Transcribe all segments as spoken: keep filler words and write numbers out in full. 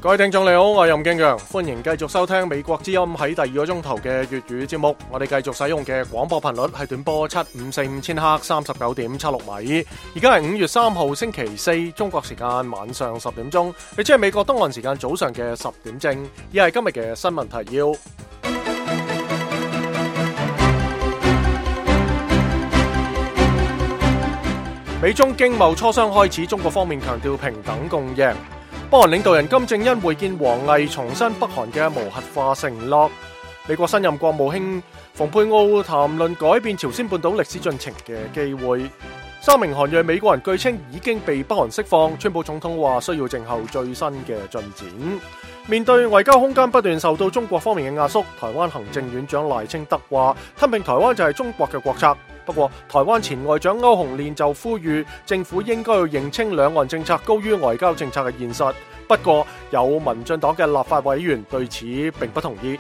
各位聽眾你好，我係任敬陽，歡迎繼續收聽美國之音喺第二個鐘頭嘅粵語節目。我哋繼續使用嘅廣播頻率係短波七五四五千赫三十九點七六米。而家係五月三號星期四，中國時間晚上十點鐘，亦即係美國東岸時間早上嘅十點正。以下係今日嘅新聞提要。美中經貿磋商開始，中國方面強調平等共贏。北韓領導人金正恩會見王毅，重申北韓嘅無核化承諾。美國新任國務卿蓬佩奧談論改變朝鮮半島歷史進程嘅機會。三名韓裔美國人據稱已經被北韓釋放，川普總統話需要靜候最新嘅進展。面對外交空間不斷受到中國方面嘅壓縮，台灣行政院長賴清德話吞併台灣就係中國嘅國策。不過，台灣前外長歐鴻練就呼籲政府應該要認清兩岸政策高於外交政策嘅現實。不過，有民進黨嘅立法委員對此並不同意。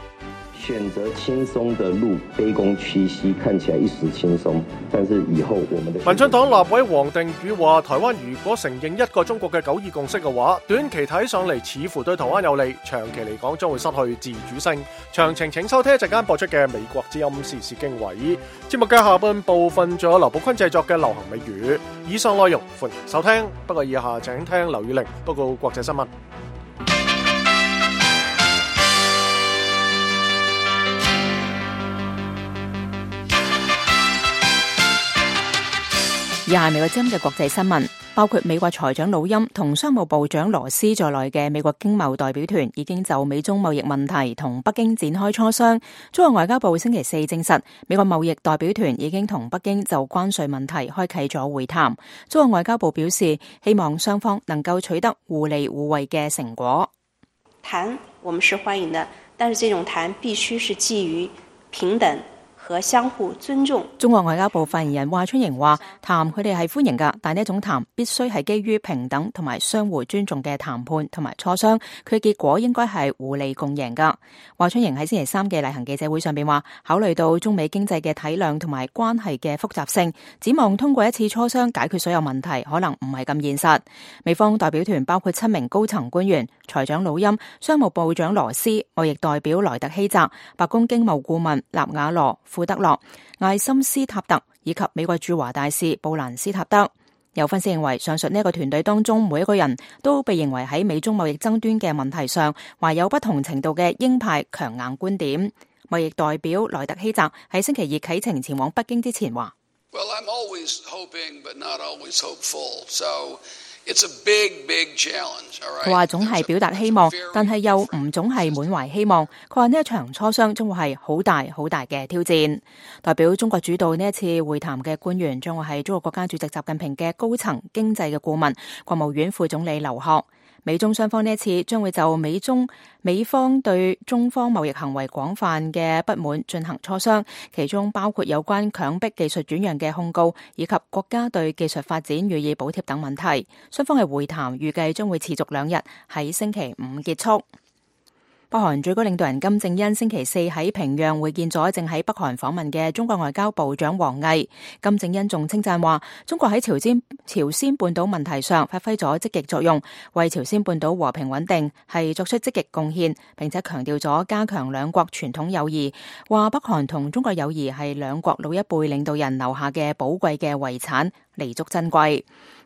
選擇輕鬆的路，卑躬屈膝，看起來一時輕鬆，但是以後我們的民進黨立委黃定宇話，台灣如果承認一個中國嘅九二共識嘅話，短期睇上嚟似乎對台灣有利，長期嚟講將會失去自主性。詳情請收聽一陣間播出嘅美國之音時事經緯。節目嘅下半部分仲有劉寶坤製作嘅流行美語。以上內容歡迎收聽，不過以下請聽劉宇玲報告國際新聞。以下係美國之音嘅國際新聞，包括美國財長魯欽同商務部長羅斯在內嘅美國經貿代表團已經就美中貿易問題同北京展開磋商。中國外交部星期四證實，美國貿易代表團已經同北京就關稅問題開啟咗會談。中國外交部表示，希望雙方能夠取得互利互惠嘅成果。談我們是歡迎的，但是這種談必須是基於平等和相互尊重。中國外交部發言人華春瑩話，談佢哋係歡迎噶，但呢一種談必須係基於平等同埋相互尊重嘅談判同埋磋商，佢嘅結果應該係互利共贏噶。華春瑩喺星期三嘅例行記者會上邊話，考慮到中美經濟嘅體量同埋關係嘅複雜性，展望通過一次磋商解決所有問題，可能唔係咁現實。美方代表團包括七名高層官員，財長魯欽、商務部長羅斯、貿易代表萊特希澤、白宮經貿顧問納瓦羅、庫德洛、艾森斯塔特以及美國駐華大使布蘭斯塔德。有分析認為，上述呢一個團隊當中每一個人都被認為喺美中貿易爭端嘅問題上懷有不同程度嘅鷹派強硬觀點。貿易代表萊特希澤喺星期二啟程前往北京之前話：Well, I'm always hoping, but not always hopeful. So it's a big, big challenge. 佢話總係表達希望，但係又唔總係滿懷希望。佢話呢一場磋商將會係好大好大嘅挑戰。代表中國主導呢一次會談嘅官員將會係中國國家主席習近平嘅高層經濟嘅顧問、國務院副總理劉鶴。美中雙方呢一次將會就美中美方對中方貿易行為廣泛嘅不滿進行磋商，其中包括有關強迫技術轉讓嘅控告，以及國家對技術發展予以補貼等問題。雙方嘅會談預計將會持續兩日，喺星期五結束。北韓最高領導人金正恩星期四喺平壤會見咗正喺北韓訪問嘅中國外交部長王毅。金正恩仲稱讚話，中國喺朝鮮朝鮮半島問題上發揮咗積極作用，為朝鮮半島和平穩定係作出積極貢獻，並且強調咗加強兩國傳統友誼，話北韓同中國友誼係兩國老一輩領導人留下嘅寶貴嘅遺產，彌足珍貴。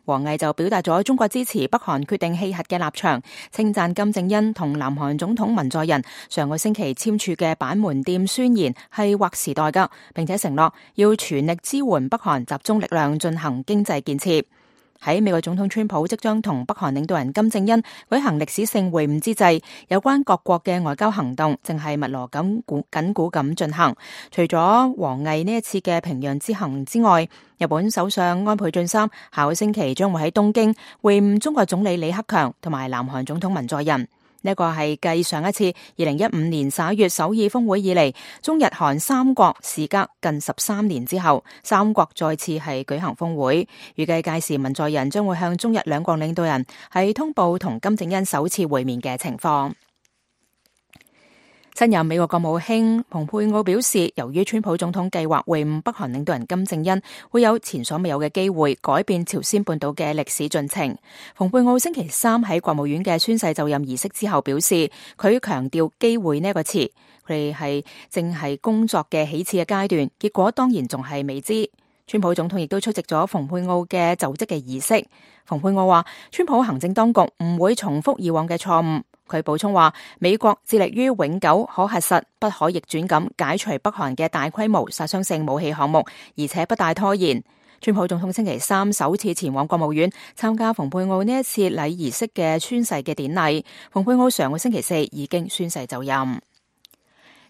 王毅就表達咗中國支持北韓決定棄核嘅立場，稱讚金正恩同南韓總統文在寅上個星期簽署嘅板門店宣言係劃時代㗎，並且承諾要全力支援北韓集中力量進行經濟建設。喺美國總統川普即將同北韓領導人金正恩舉行歷史性會晤之際，有關各國嘅外交行動正係密鑼緊鼓緊鼓咁進行。除咗王毅呢一次嘅平壤之行之外，日本首相安倍晉三下個星期將會喺東京會晤中國總理李克強同埋南韓總統文在寅。呢個係繼上一次二零一五年十一月首爾峰會以嚟，中日韓三國時隔近十三年之後，三國再次係舉行峰會。預計屆時文在寅將會向中日兩國領導人係通報同金正恩首次會面嘅情況。新任美國國務卿蓬佩奧表示，由於川普總統計劃會晤北韓領導人金正恩，會有前所未有嘅機會改變朝鮮半島嘅歷史進程。蓬佩奧星期三喺國務院嘅宣誓就任儀式之後表示，佢強調機會呢個詞，佢哋係正係工作嘅起始嘅階段，結果當然仲係未知。川普總統亦都出席咗蓬佩奧嘅就職嘅儀式。蓬佩奧話，川普行政當局唔會重複以往嘅錯誤。佢補充話，美國致力於永久、可核實、不可逆轉咁解除北韓嘅大規模殺傷性武器項目，而且不帶拖延。川普總統星期三首次前往國務院參加蓬佩奧呢一次禮儀式嘅宣誓嘅典禮。蓬佩奧上個星期四已經宣誓就任。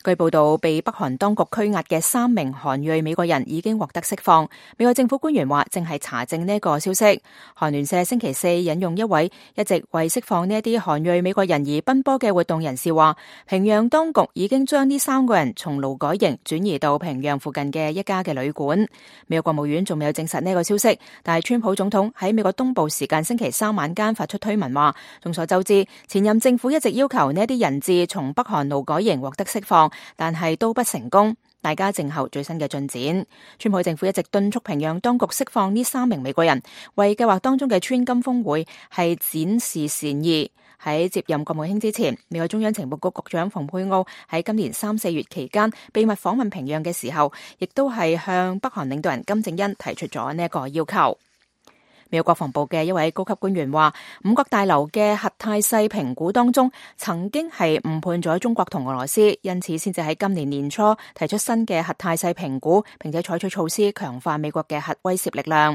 據報道，被北韓當局拘押嘅三名韓裔美國人已經獲得釋放。美國政府官員話，正係查證呢個消息。韓聯社星期四引用一位一直為釋放呢一啲韓裔美國人而奔波嘅活動人士話，平壤當局已經將呢三個人從勞改營轉移到平壤附近嘅一家嘅旅館。美國國務院仲未有證實呢個消息，但係川普總統喺美國東部時間星期三晚間發出推文話，眾所周知，前任政府一直要求呢一啲人質從北韓勞改營獲得釋放，但係都不成功，大家靜候最新嘅進展。川普政府一直敦促平壤當局釋放呢三名美國人，為計劃當中嘅川金峰會係展示善意。喺接任國務卿之前，美國中央情報局局長蓬佩奧喺今年三四月期間秘密訪問平壤嘅時候，亦都係向北韓領導人金正恩提出咗呢一個要求。美國國防部嘅一位高級官員話，五角大樓嘅核態勢評估當中，曾經係誤判咗中國同俄羅斯，因此先至喺今年年初提出新嘅核態勢評估，並且採取措施強化美國嘅核威懾力量。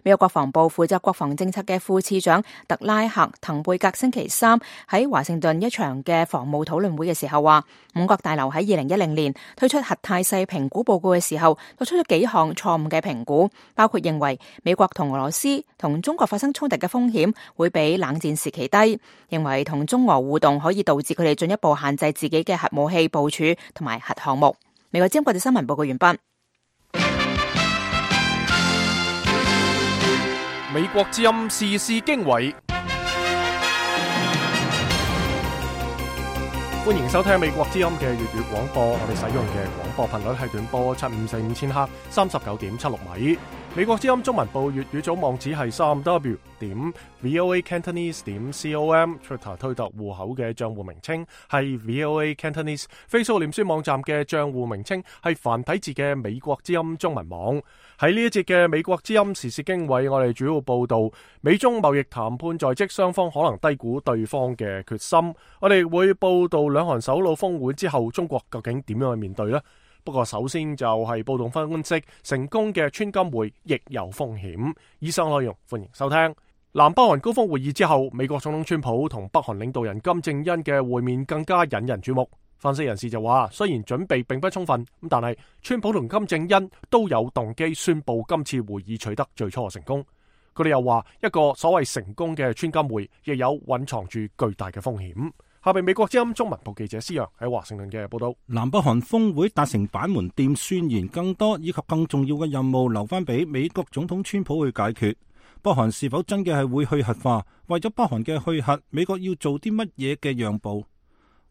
美國國防部負責國防政策嘅副次長特拉克滕貝格星期三喺華盛頓一場嘅防務討論會嘅時候話，五角大樓喺二零一零年推出核態勢評估報告嘅時候，作出咗幾項錯誤嘅評估，包括認為美國同俄羅斯同中國發生衝突嘅風險會比冷戰時期低，認為同中俄互動可以導致佢哋進一步限制自己嘅核武器部署同埋核項目。美國之音國際新聞報告完畢。美國之音時事經緯，歡迎收聽美國之音嘅粵語廣播。我哋使用嘅廣播頻率係短波七五四五千赫，三十九點七六米。美國之音中文部粵語組網址係三 w 點 voa cantonese 點 com，Twitter 推特戶口嘅賬戶名稱係 voa cantonese，Facebook 臉書網站嘅賬戶名稱係繁體字嘅美國之音中文網。喺呢一節嘅美國之音時事經緯，我哋主要報道美中貿易談判在即，雙方可能低估對方嘅決心。我哋會報道兩韓首腦峰會之後，中國究竟點樣去面對呢？不過首先就係報道分析，成功嘅川金會亦有風險。以上內容歡迎收聽。南北韓高峰會議之後，美國總統川普同北韓領導人金正恩嘅會面更加引人注目。分析人士就話，雖然準備並不充分，咁但係川普同金正恩都有動機宣布今次會議取得最初嘅成功。佢哋又話，一個所謂成功嘅川金會亦有蘊藏住巨大嘅風險。下邊美國之音中文部記者施洋喺華盛頓嘅報道。南北韓峰會達成板門店宣言，更多以及更重要嘅任務留翻俾美國總統川普去解決。北韓是否真嘅係會去核化？為咗北韓嘅去核，美國要做啲乜嘢嘅讓步？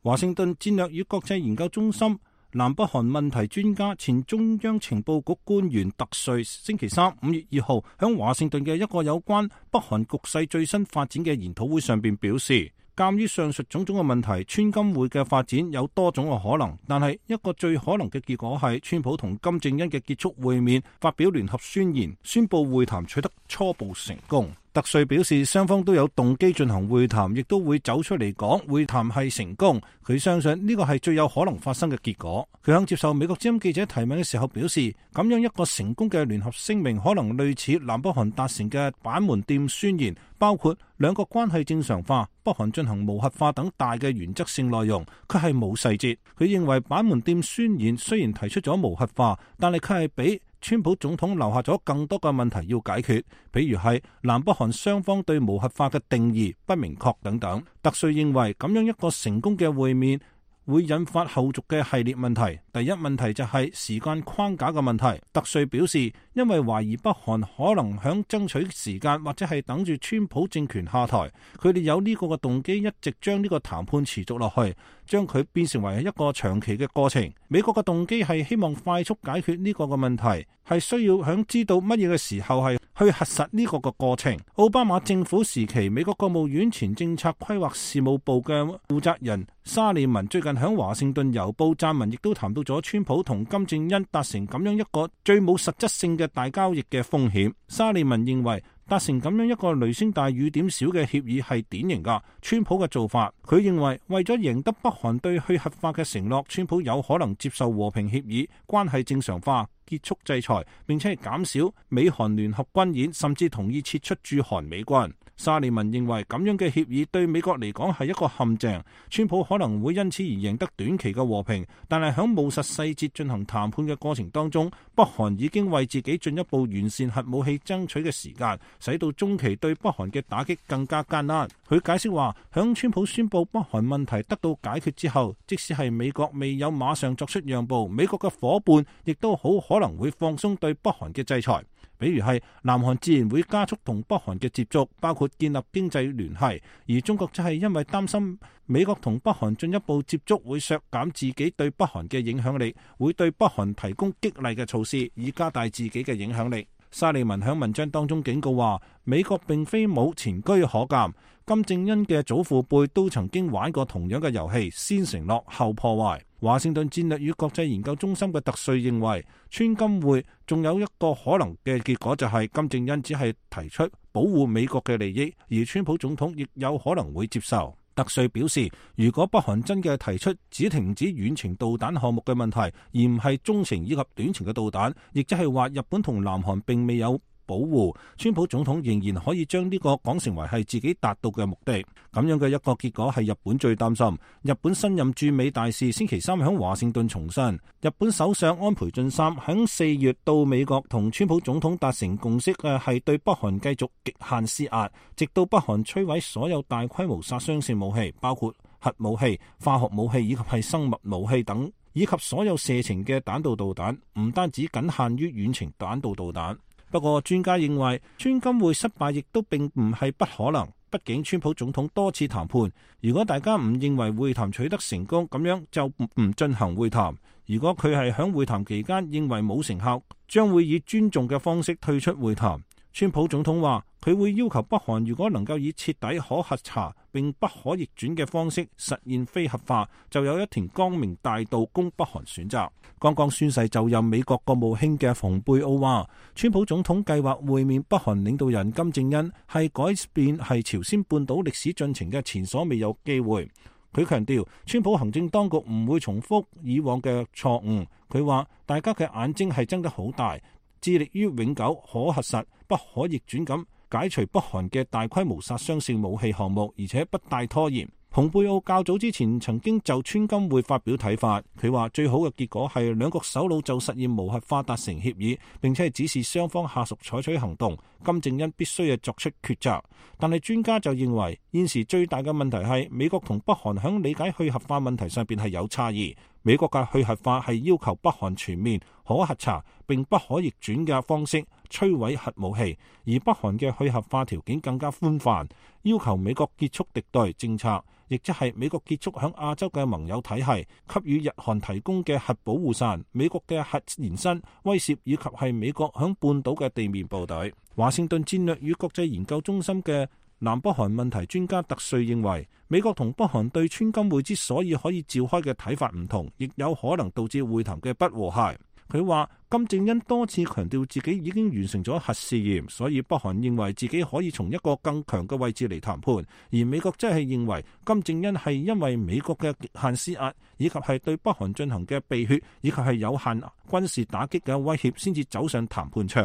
華盛頓戰略與國際研究中心南北韓問題專家、前中央情報局官員特瑞星期三五月二號響華盛頓嘅一個有關北韓局勢最新發展嘅研討會上邊表示，鑒於上述種種嘅問題，川金會嘅發展有多種嘅可能，但係一個最可能嘅結果係川普同金正恩嘅結束會面，發表聯合宣言，宣布會談取得初步成功。特瑞表示，雙方都有動機進行會談，亦都會走出嚟講會談係成功。佢相信呢個係最有可能發生嘅結果。佢向接受美國之音記者提問嘅時候表示，咁樣一個成功嘅聯合聲明可能類似南北韓達成嘅板門店宣言，包括兩國關係正常化、北韓進行無核化等大嘅原則性內容，佢係冇細節。佢認為板門店宣言雖然提出咗無核化，但係佢係比川普總統留下咗更多嘅問題要解決，比如係南北韓雙方對無核化嘅定義不明確等等。特瑞認為咁樣一個成功嘅會面會引發後續嘅系列問題。第一問題就係時間框架嘅問題。特瑞表示，因為懷疑北韓可能響爭取時間，或者係等住川普政權下台，佢哋有呢個嘅動機，一直將呢個談判持續落去，將佢變成為一個長期嘅過程。美國嘅動機係希望快速解決呢個嘅問題，係需要響知道乜嘢嘅時候係去核實呢個嘅過程。奧巴馬政府時期，美國國務院前政策規劃事務部嘅負責人沙利文最近響華盛頓郵報撰文，亦都談到咗川普同金正恩達成咁樣一個最冇實質性嘅大交易嘅風險。沙利文認為達成咁樣一個雷聲大雨點小嘅協議係典型噶川普嘅做法。佢認為為咗贏得北韓對去核化嘅承諾，川普有可能接受和平協議、關係正常化、結束制裁，並且係減少美韓聯合軍演，甚至同意撤出駐韓美軍。沙利文認為咁樣嘅協議對美國嚟講係一個陷阱，川普可能會因此而贏得短期嘅和平，但係喺務實細節進行談判嘅過程當中，北韓已經為自己進一步完善核武器爭取嘅時間，使到中期對北韓嘅打擊更加艱難。佢解釋話，響川普宣布北韓問題得到解決之後，即使係美國未有馬上作出讓步，美國嘅夥伴亦都好可能會放鬆對北韓嘅制裁。比如係南韓自然會加速同北韓嘅接觸，包括建立經濟聯繫，而中國就係因為擔心美國同北韓進一步接觸會削減自己對北韓嘅影響力，會對北韓提供激勵嘅措施，以加大自己嘅影響力。沙利文喺文章當中警告話，美國並非冇前車可鑑，金正恩嘅祖父輩都曾經玩過同樣嘅遊戲，先承諾後破壞。華盛頓戰略與國際研究中心嘅特瑞認為，川金會仲有一個可能嘅結果，就係金正恩只係提出保護美國嘅利益，而川普總統亦有可能會接受。特瑞表示，如果北韓真嘅提出只停止遠程導彈項目嘅問題，而唔係中程以及短程嘅導彈，亦即係話日本同南韓並未有保護，川普總統仍然可以將呢個講成為係自己達到嘅目的。咁樣嘅一個結果係日本最擔心。日本新任駐美大使星期三喺華盛頓重申，日本首相安倍晉三喺四月到美國同川普總統達成共識嘅係對北韓繼續極限施壓，直到北韓摧毀所有大規模殺傷性武器，包括核武器、化學武器以及係生物武器等，以及所有射程嘅彈道導彈，唔單止僅限於遠程彈道導彈。不過專家認為，川金會失敗亦都並唔係不可能。畢竟川普總統多次談判，如果大家唔認為會談取得成功，咁樣就唔進行會談。如果佢係響會談期間認為冇成效，將會以尊重嘅方式退出會談。川普總統話，佢會要求北韓如果能夠以徹底可核查並不可逆轉嘅方式實現非核化，就有一條光明大道供北韓選擇。剛剛宣誓就任美國國務卿嘅蓬佩奧話，川普總統計劃會面北韓領導人金正恩係改變係朝鮮半島歷史進程嘅前所未有機會。佢強調，川普行政當局唔會重複以往嘅錯誤。佢話大家嘅眼睛係睜得好大，致力於永久可核實不可逆轉咁解除北韓嘅大規模殺傷性武器項目，而且不帶拖延。蓬佩奧較早之前曾經就川金會發表睇法，佢話最好嘅結果係兩國首腦就實現無核化達成協議，並且係指示雙方下屬採取行動。金正恩必須係作出抉擇。但係專家就認為，現時最大嘅問題係美國同北韓響理解去核化問題上邊係有差異。美國嘅去核化係要求北韓全面可核查並不可逆轉嘅方式摧毀核武器，而北韓嘅去核化條件更加寬泛，要求美國結束敵對政策，亦即係美國結束響亞洲嘅盟友體系，給予日韓提供嘅核保護傘，美國嘅核延伸威懾，以及係美國響半島嘅地面部隊。華盛頓戰略與國際研究中心嘅南北韓問題專家特瑞認為，美國同北韓對川金會之所以可以召開嘅睇法唔同，亦有可能導致會談嘅不和諧。佢話金正恩多次強調自己已經完成咗核試驗，所以北韓認為自己可以從一個更強嘅位置嚟談判，而美國則係認為金正恩係因為美國嘅極限施壓，以及係對北韓進行嘅避血，以及係有限軍事打擊嘅威脅，先至走上談判場。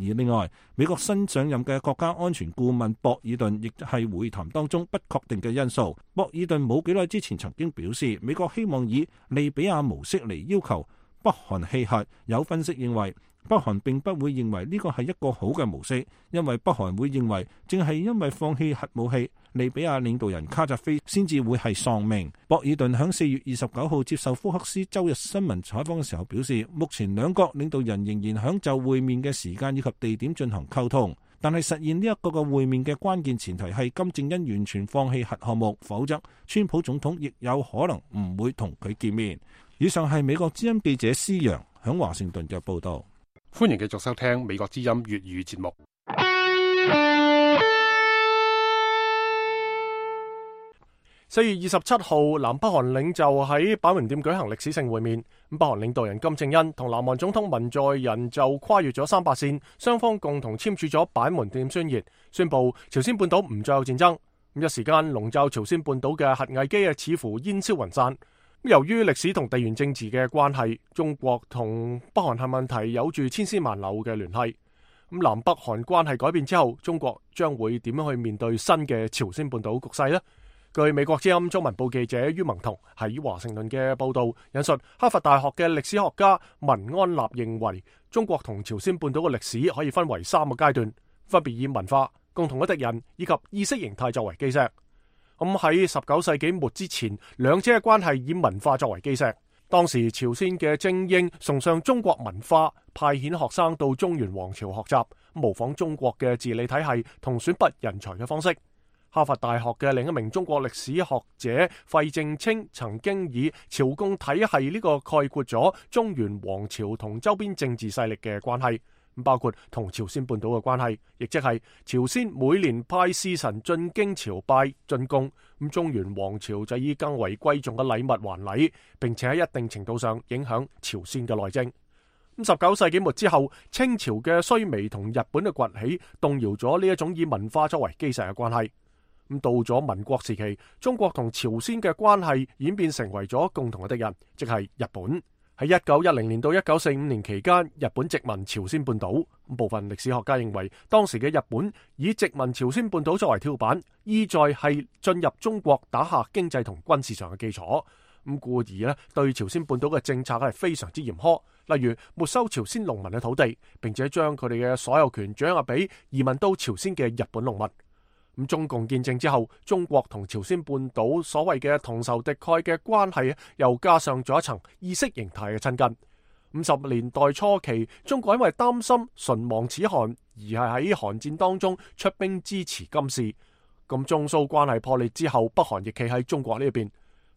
而另外，美國新上任嘅國家安全顧問博爾頓亦係會談當中不確定嘅因素。博爾頓冇幾耐之前曾經表示，美國希望以利比亞模式嚟要求北韓棄核。有分析認為，北韓並不會認為呢個係一個好嘅模式，因為北韓會認為正係因為放棄核武器，利比亞領導人卡扎菲先至會係喪命。博爾頓喺四月二十九號接受福克斯周日新聞採訪嘅時候表示，目前兩國領導人仍然響就會面嘅時間以及地點進行溝通，但係實現呢一個嘅會面嘅關鍵前提係金正恩完全放棄核項目，否則川普總統亦有可能唔會同佢見面。以上係美國之音記者施洋響華盛頓嘅報道。歡迎繼續收聽美國之音粵語節目。四月二十七號，南北韓領袖喺板門店舉行歷史性會面。北韓領導人金正恩同南韓總統文在寅就跨越咗三八線，雙方共同簽署咗板門店宣言，宣布朝鮮半島唔再有戰爭。一時間籠罩朝鮮半島嘅核危機啊，似乎煙消雲散。由於歷史同地緣政治嘅關係，中國同北韓核問題有住千絲萬縷嘅聯繫。咁南北韓關係改變之後，中國將會點樣去面對新嘅朝鮮半島局勢呢？據美國之音中文部記者于文彤喺華盛頓嘅報道引述，哈佛大學嘅歷史學家文安納認為，中國同朝鮮半島嘅歷史可以分為三個階段，分別以文化、共同嘅敵人以及意識形態作為基石。咁喺十九世紀末之前，兩者嘅關係以文化作為基石。當時朝鮮嘅精英崇尚中國文化，派遣學生到中原王朝學習，模仿中國嘅治理體系同選拔人才嘅方式。哈佛大學嘅另一名中國歷史學者費正清曾經以朝貢體系呢個概括咗中原王朝同周邊政治勢力嘅關係，包括同朝鮮半島嘅關係，亦即係朝鮮每年派使臣進京朝拜進貢，咁中原王朝就以更為貴重嘅禮物還禮，並且喺一定程度上影響朝鮮嘅內政。咁十九世紀末之後，清朝嘅衰微同日本嘅崛起，動搖咗呢一種以文化作為基石嘅關係。咁到咗民國時期，中國同朝鮮嘅關係演變成為咗共同嘅敵人，即係日本。喺一九一零年到一九四五年期間，日本殖民朝鮮半島。部分歷史學家認為，當時嘅日本以殖民朝鮮半島作為跳板，意在係進入中國打下經濟同軍事上嘅基礎。咁故而呢，對朝鮮半島嘅政策係非常之嚴苛，例如沒收朝鮮農民嘅土地，並且將佢哋嘅所有權掌握俾移民到朝鮮嘅日本農民。咁中共建政之後，中國同朝鮮半島所謂嘅同仇敵愾嘅關係，又加上咗一層意識形態嘅親近。五十年代初期，中國因為擔心唇亡齒寒，而係喺韓戰當中出兵支持金氏。咁中蘇關係破裂之後，北韓亦企喺中國呢一邊。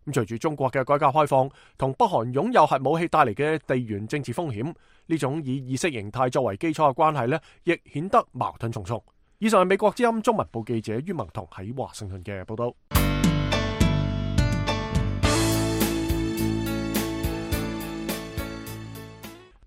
咁隨住中國嘅改革開放，同北韓擁有核武器帶嚟嘅地緣政治風險，呢種以意識形態作為基礎嘅關係呢，亦顯得矛盾重重。以上係美國之音中文部記者于文彤喺華盛頓嘅報道。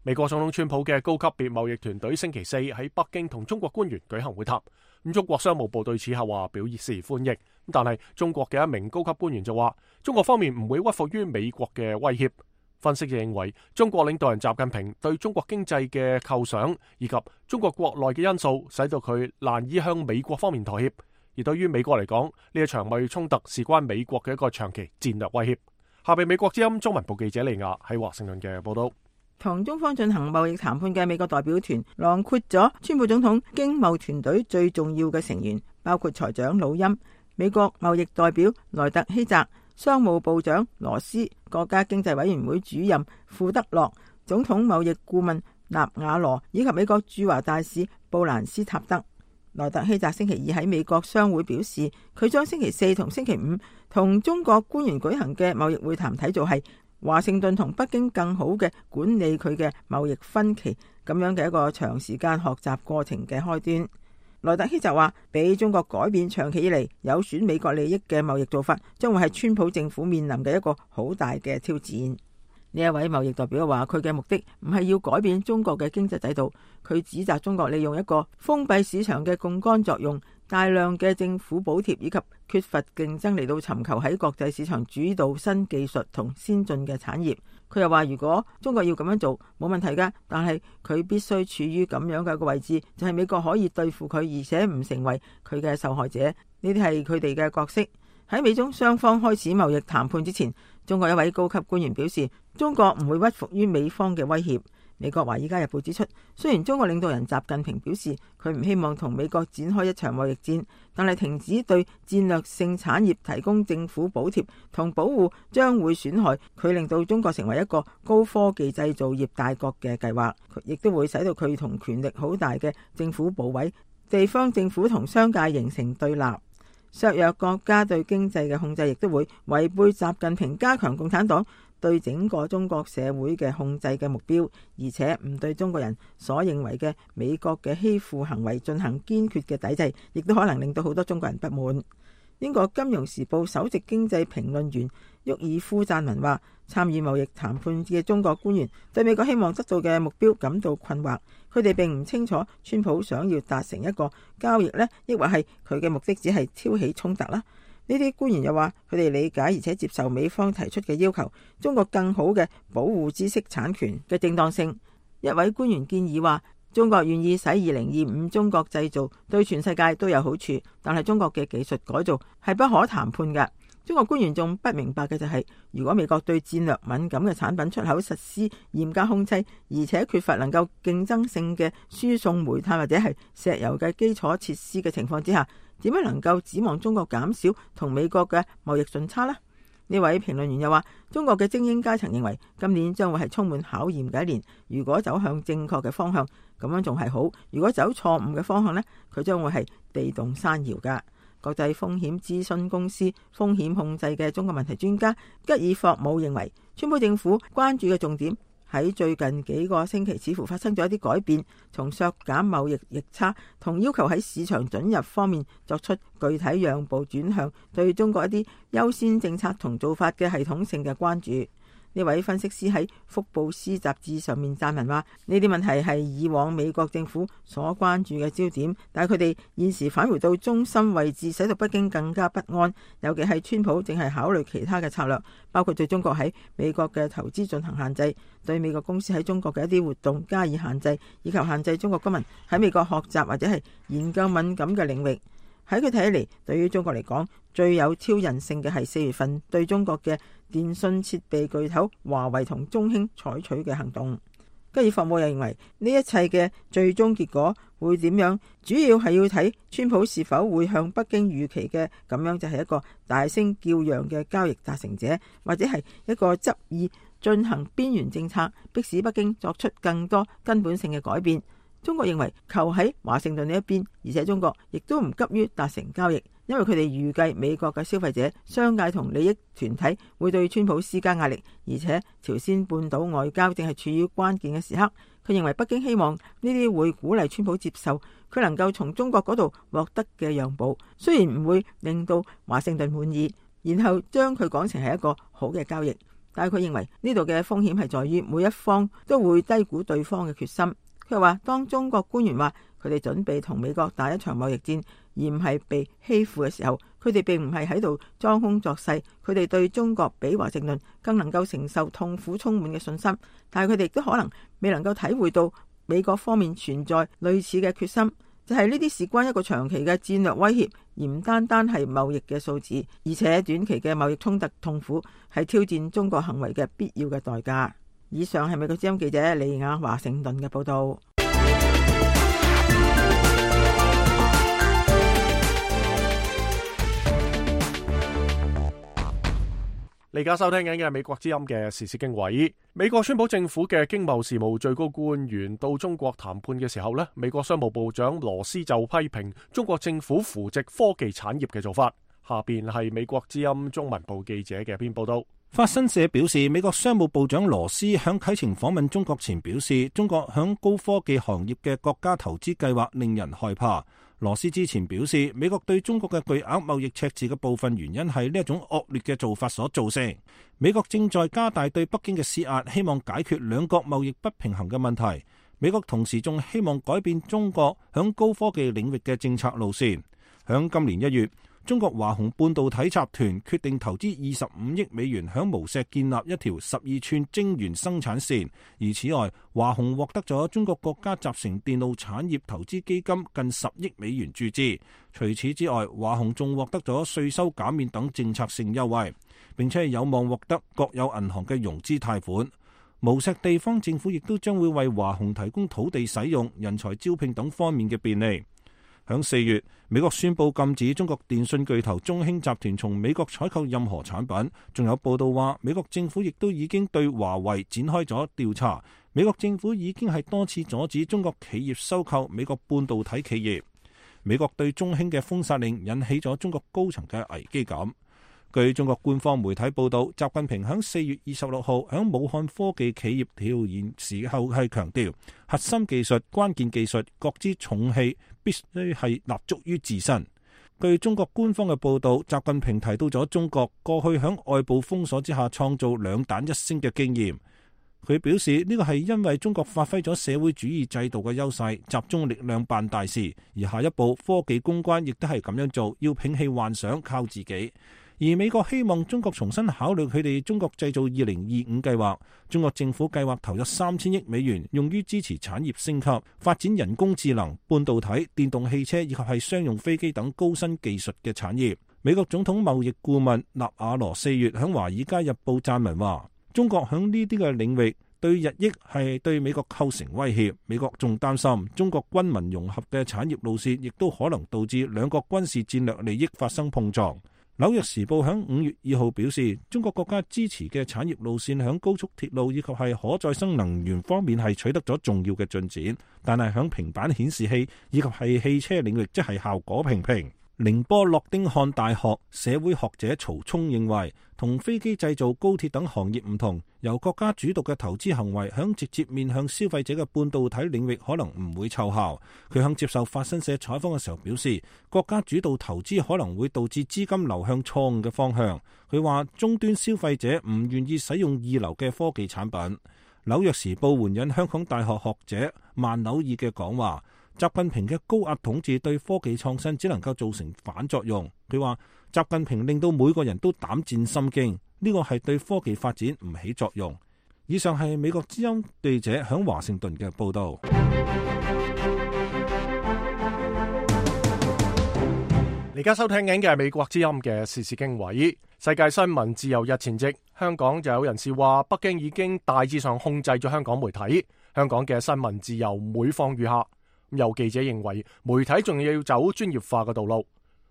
美國總統川普嘅高級別貿易團隊星期四喺北京同中國官員舉行會談。咁中國商務部對此後話表示歡迎，但係中國嘅一名高級官員就話，中國方面唔會屈服於美國嘅威脅。分析就認為，中國領導人習近平對中國經濟嘅構想以及中國國內嘅因素，使到佢難以向美國方面妥協。而對於美國嚟講，呢一場貿易衝突事關美國嘅一個長期戰略威脅。下邊美國之音中文部記者利亞喺華盛頓嘅報道。同中方進行貿易談判嘅美國代表團，囊括咗川普總統經貿團隊最重要嘅成員，包括財長魯欽、美國貿易代表萊特希澤、商務部長羅斯、國家經濟委員會主任庫德洛、總統貿易顧問納瓦羅以及美國駐華大使布蘭斯塔德。萊特希澤星期二喺美國商會表示，佢將星期四同星期五同中國官員舉行嘅貿易會談睇做係華盛頓同北京更好嘅管理佢嘅貿易分歧咁樣嘅一個長時間學習過程嘅開端。萊特希澤話，俾中國改變長期以嚟有損美國利益嘅貿易做法，將會係川普政府面臨嘅一個好大嘅挑戰。呢一位貿易代表話，佢嘅目的唔係要改變中國嘅經濟制度，佢指責中國利用一個封閉市場嘅槓桿作用，大量嘅政府補貼以及缺乏競爭嚟到尋求喺國際市場主導新技術同先進嘅產業。佢又話，如果中國要咁樣做冇問題㗎，但係佢必須處於咁樣嘅一個位置，就係美國可以對付佢，而且唔成為佢嘅受害者。呢啲係佢哋嘅角色。喺美中雙方開始貿易談判之前，中國一位高級官員表示，中國唔會屈服於美方嘅威脅。美國《華爾街日報》指出，雖然中國領導人習近平表示佢唔希望同美國展開一場貿易戰，但係停止對戰略性產業提供政府補貼同保護將會損害佢令到中國成為一個高科技製造業大國嘅計劃，亦都會使到佢同權力好大嘅政府部委、地方政府同商界形成對立，削弱國家對經濟嘅控制，亦都會違背習近平加強共產黨對整個中國社會嘅控制嘅目標，而且唔對中國人所認為嘅美國嘅欺負行為進行堅決嘅抵制，亦都可能令到好多中國人不滿。英國金融時報首席經濟評論員沃爾夫贊文話，參與貿易談判嘅中國官員對美國希望得到嘅目標感到困惑，佢哋並唔清楚川普想要達成一個交易呢，抑或係佢嘅目的只係挑起衝突啦。呢啲官員又話，佢哋理解而且接受美方提出嘅要求，中國更好嘅保護知識產權嘅正當性。一位官員建議話，中國願意使二零二五中國製造對全世界都有好處，但係中國嘅技術改造係不可談判嘅。中國官員仲不明白嘅就係，如果美國對戰略敏感嘅產品出口實施嚴格控制，而且缺乏能夠競爭性嘅輸送煤炭或者係石油嘅基礎設施嘅情況之下，點樣能夠指望中國減少同美國嘅貿易順差呢？呢位評論員又話，中國嘅精英階層認為今年將會係充滿考驗嘅一年，如果走向正確嘅方向，咁樣仲係好；如果走錯誤嘅方向呢，佢將會係地動山搖噶。國際風險諮詢公司風險控制嘅中國問題專家吉爾霍姆認為，川普政府關注嘅重點喺最近幾個星期似乎發生咗一啲改變，從削減貿易逆差同要求喺市場准入方面作出具體讓步，轉向對中國一啲優先政策同做法嘅系統性嘅關注。呢位分析師喺福布斯雜誌上面撰文話，呢啲問題係以往美國政府所關注嘅焦點，但係佢哋現時返回到中心位置，使到北京更加不安。尤其係川普正係考慮其他嘅策略，包括對中國喺美國嘅投資進行限制，對美國公司喺中國嘅一啲活動加以限制，以及限制中國公民喺美國學習或者係研究敏感嘅領域。喺佢睇起嚟，對於中國嚟講，最有挑釁性嘅係四月份對中國嘅電信設備巨頭華為同中興採取嘅行動。吉爾霍姆又認為，呢一切嘅最終結果會點樣，主要係要睇川普是否會向北京預期嘅咁樣，就係一個大聲叫嚷嘅交易達成者，或者係一個執意進行邊緣政策，迫使北京作出更多根本性嘅改變。中國認為球喺華盛頓呢一邊，而且中國亦都唔急於達成交易，因為佢哋預計美國嘅消費者、商界同利益團體會對川普施加壓力，而且朝鮮半島外交正係處於關鍵嘅時刻。佢認為北京希望呢啲會鼓勵川普接受佢能夠從中國嗰度獲得嘅讓步，雖然唔會令到華盛頓滿意，然後將佢講成係一個好嘅交易，但係佢認為呢度嘅風險係在於每一方都會低估對方嘅決心。佢話，當中國官員話佢哋準備同美國打一場貿易戰，而唔係被欺負嘅時候，佢哋並唔係喺度裝腔作勢，佢哋對中國比華盛頓更能夠承受痛苦充滿嘅信心，但係佢哋亦都可能未能夠體會到美國方面存在類似嘅決心，就係呢啲事關一個長期嘅戰略威脅，而唔單單係貿易嘅數字，而且短期嘅貿易衝突痛苦係挑戰中國行為嘅必要嘅代價。以上係美國之音記者李雅華盛頓嘅報道。你而家收聽緊嘅係美國之音嘅時事經緯。美國川普政府嘅經貿事務最高官員到中國談判嘅時候呢，美國商務部長羅斯就批評中國政府扶植科技產業嘅做法。下邊係美國之音中文部記者嘅一篇報道。法新社表示，美國商務部長羅斯響啟程訪問中國前表示，中國響高科技行業嘅國家投資計劃令人害怕。羅斯之前表示，美國對中國嘅巨額貿易赤字嘅部分原因係呢一種惡劣嘅做法所造成。美國正在加大對北京嘅施壓，希望解決兩國貿易不平衡嘅問題。美國同時仲希望改變中國響高科技領域嘅政策路線。響今年一月，中國華虹半導體集團決定投資二十五億美元響無錫建立一條十二寸晶圓生產線，而此外，華虹獲得咗中國國家集成電路產業投資基金近十億美元注資。除此之外，華虹仲獲得咗稅收減免等政策性優惠。並且係有望獲得國有銀行嘅融資貸款。無錫地方政府亦都將會為華虹提供土地使用、人才招聘等方面嘅便利。響四月，美國宣布禁止中國電信巨頭中興集團從美國採購任何產品。仲有報道話，美國政府亦都已經對華為展開咗調查。美國政府已經係多次阻止中國企業收購美國半導體企業。美國對中興嘅封殺令引起咗中國高層嘅危機感。據中國官方媒體報道，習近平喺四月二十六號喺武漢科技企業調研時候係強調，核心技術、關鍵技術各支重器必須係立足於自身。據中國官方嘅報道，習近平提到咗中國過去喺外部封鎖之下創造兩彈一星嘅經驗。佢表示呢個係因為中國發揮咗社會主義制度嘅優勢，集中力量辦大事。而下一步科技攻關亦都係咁樣做，要摒棄幻想，靠自己。而美國希望中國重新考慮佢哋中國製造二零二五計劃。中國政府計劃投入三千億美元，用於支持產業升級、發展人工智能、半導體、電動汽車以及係商用飛機等高新技術嘅產業。美國總統貿易顧問納瓦羅四月喺華爾街日報撰文話，中國喺呢啲嘅領域對日益係對美國構成威脅。美國仲擔心中國軍民融合嘅產業路線，亦都可能導致兩國軍事戰略利益發生碰撞。紐約時報喺五月二號表示，中國國家支持嘅產業路線喺高速鐵路以及係可再生能源方面係取得咗重要嘅進展，但係喺平板顯示器以及係汽車領域，即係效果平平。寧波諾丁漢大學社會學者曹聰認為，同飛機製造、高鐵等行業唔同，由國家主導嘅投資行為響直接面向消費者嘅半導體領域可能唔會奏效。佢響接受法新社採訪嘅時候表示，國家主導投資可能會導致資金流向錯誤嘅方向。佢話終端消費者唔願意使用二流嘅科技產品。紐約時報援引香港大學學者萬紐爾嘅講話，習近平嘅高壓統治對科技創新只能夠造成反作用。佢話習近平令到每個人都膽戰心驚，呢個係對科技發展唔起作用。以上係美國之音記者響華盛頓嘅報道。而家收聽緊嘅係美國之音嘅時事經緯。世界新聞自由日前夕，香港就有人士話北京已經大致上控制咗香港媒體，香港嘅新聞自由每況愈下。有記者認為媒體仲要走專業化嘅道路。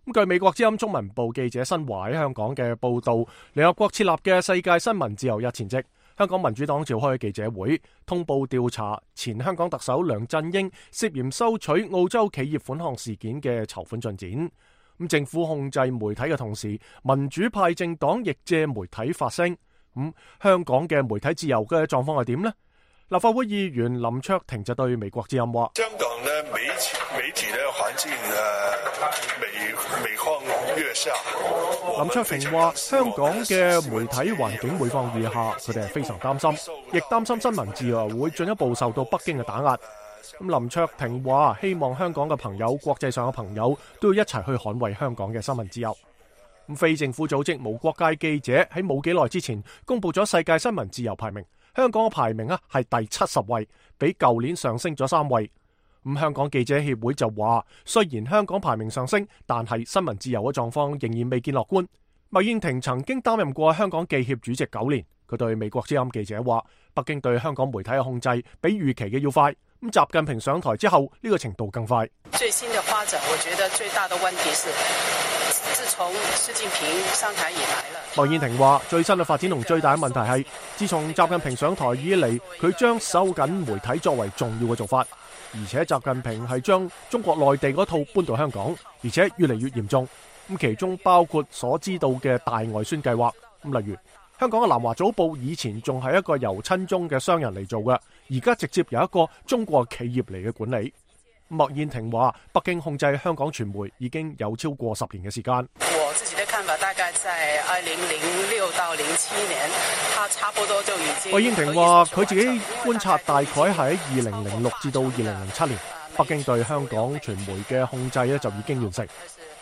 咁據美國之音中文部記者新華喺香港嘅報道，聯合國設立嘅世界新聞自由日前夕，香港民主黨召開記者會，通報調查前香港特首梁振英涉嫌收取澳洲企業款項事件嘅籌款進展。咁政府控制媒體嘅同時，民主派政黨亦借媒體發聲。咁香港嘅媒體自由嘅狀況係點呢？立法會議員林卓廷就對美國之音話：香港嘅媒體媒體嘅環境誒，每每況愈下。林卓廷話：香港嘅媒體環境每況愈下，佢哋係非常擔心，亦擔心新聞自由會進一步受到北京嘅打壓。咁林卓廷話：希望香港嘅朋友、國際上嘅朋友都要一齊去捍衛香港嘅新聞自由。咁非政府組織無國界記者喺冇幾耐之前公布咗世界新聞自由排名。香港嘅排名啊係第七十位，比舊年上升咗三位。咁香港記者協會就話，雖然香港排名上升，但係新聞自由嘅狀況仍然未見樂觀。麥燕庭曾經擔任過香港記協主席九年，佢對美國之音記者話，北京對香港媒體嘅控制比預期嘅要快。咁習近平上台之後，呢個程度更快。最新嘅發展，我覺得最大的問題是，自從習近平上台以來了。麥燕庭話：最新嘅發展同最大嘅問題係，自從習近平上台以嚟，佢將收緊媒體作為重要嘅做法，而且習近平係將中國內地嗰套搬到香港，而且越嚟越嚴重。咁其中包括所知道嘅大外宣計劃。咁例如香港嘅南華早報以前仲係一個由親中嘅商人嚟做嘅，而家直接由一個中國企業嚟嘅管理。麥燕庭話：北京控制香港傳媒已經有超過十年嘅時間。我自己的看法大概在二零零六到零七年，他差不多就已經。麥燕庭話：佢自己觀察大概係喺二零零六至到二零零七年，北京對香港傳媒嘅控制咧就已經完成。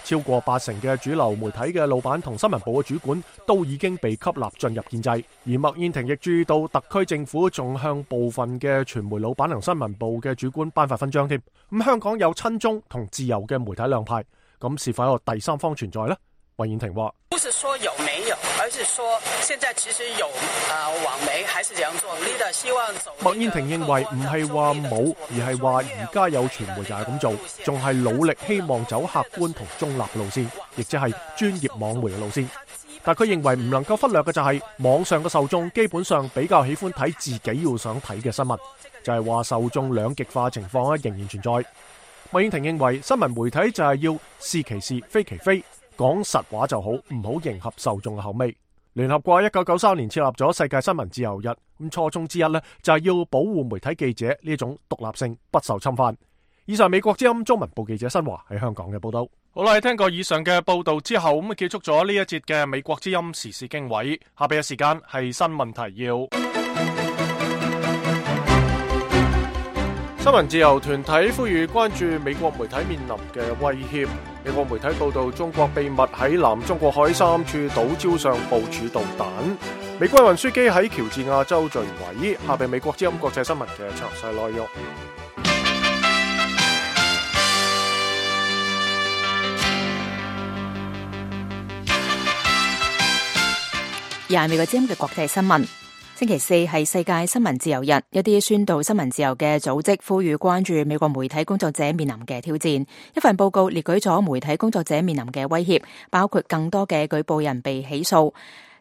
超過八成嘅主流媒體嘅老闆同新聞部嘅主管都已經被吸納進入建制，而麥燕庭亦注意到特區政府仲向部分嘅傳媒老闆同新聞部嘅主管頒發勳章添。咁香港有親中同自由嘅媒體兩派，咁是否有第三方存在呢？麥燕庭話：不是說有沒有，而是說現在其實有啊、呃，網媒還是這樣做。leader希望走。麥燕庭認為唔係話冇，而係話而家有傳媒就係咁做，仲係努力希望走客觀同中立嘅路線，亦即係專業網媒嘅路線。但佢認為唔能夠忽略嘅就係網上嘅受眾基本上比較喜歡睇自己要想睇嘅新聞，就係話受眾兩極化情況仍然存在。麥燕庭認為新聞媒體就係要是其是非其非，講實話就好，唔好迎合受眾嘅口味。聯合國一九九三年設立咗世界新聞自由日，咁初衷之一呢，就係要保護媒體記者呢種獨立性不受侵犯。以上美國之音中文部記者新華喺香港嘅報道。好啦，聽過以上嘅報道之後，咁結束咗呢一節嘅美國之音時事經緯。下邊嘅時間係新聞提要。新聞自由團體呼籲關注美國媒體面臨嘅威脅。美國媒體報道，中國秘密喺南中國海三處島礁上部署導彈。美軍運輸機喺喬治亞州墜毀。下邊美國之音國際新聞嘅詳細內容。廿美國之音嘅國際新聞。星期四係世界新聞自由日，一啲宣導新聞自由嘅組織呼籲關注美國媒體工作者面臨嘅挑戰。一份報告列舉咗媒體工作者面臨嘅威脅，包括更多嘅舉報人被起訴、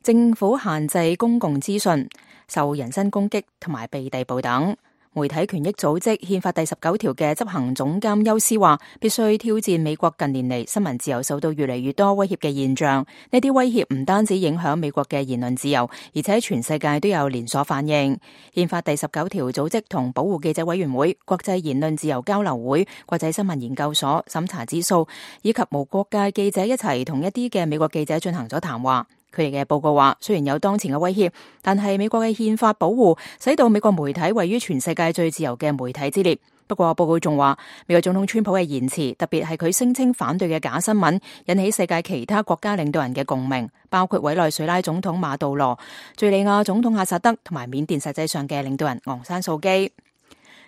政府限制公共資訊、受人身攻擊同埋被逮捕等。媒體權益組織憲法第十九條嘅執行總監休斯話，必須挑戰美國近年嚟新聞自由受到越嚟越多威脅嘅現象。呢啲威脅唔單止影響美國嘅言論自由，而且全世界都有連鎖反應。憲法第十九條組織同保護記者委員會、國際言論自由交流會、國際新聞研究所、審查指數以及無國界記者一齊同一啲嘅美國記者進行咗談話。佢哋嘅報告話，雖然有當前嘅威脅，但係美國嘅憲法保護使到美國媒體位於全世界最自由嘅媒體之列。不過報告仲話，美國總統川普嘅言辭，特別係佢聲稱反對嘅假新聞，引起世界其他國家領導人嘅共鳴，包括委內瑞拉總統馬杜羅、敘利亞總統阿薩德同埋緬甸實際上嘅領導人昂山素基。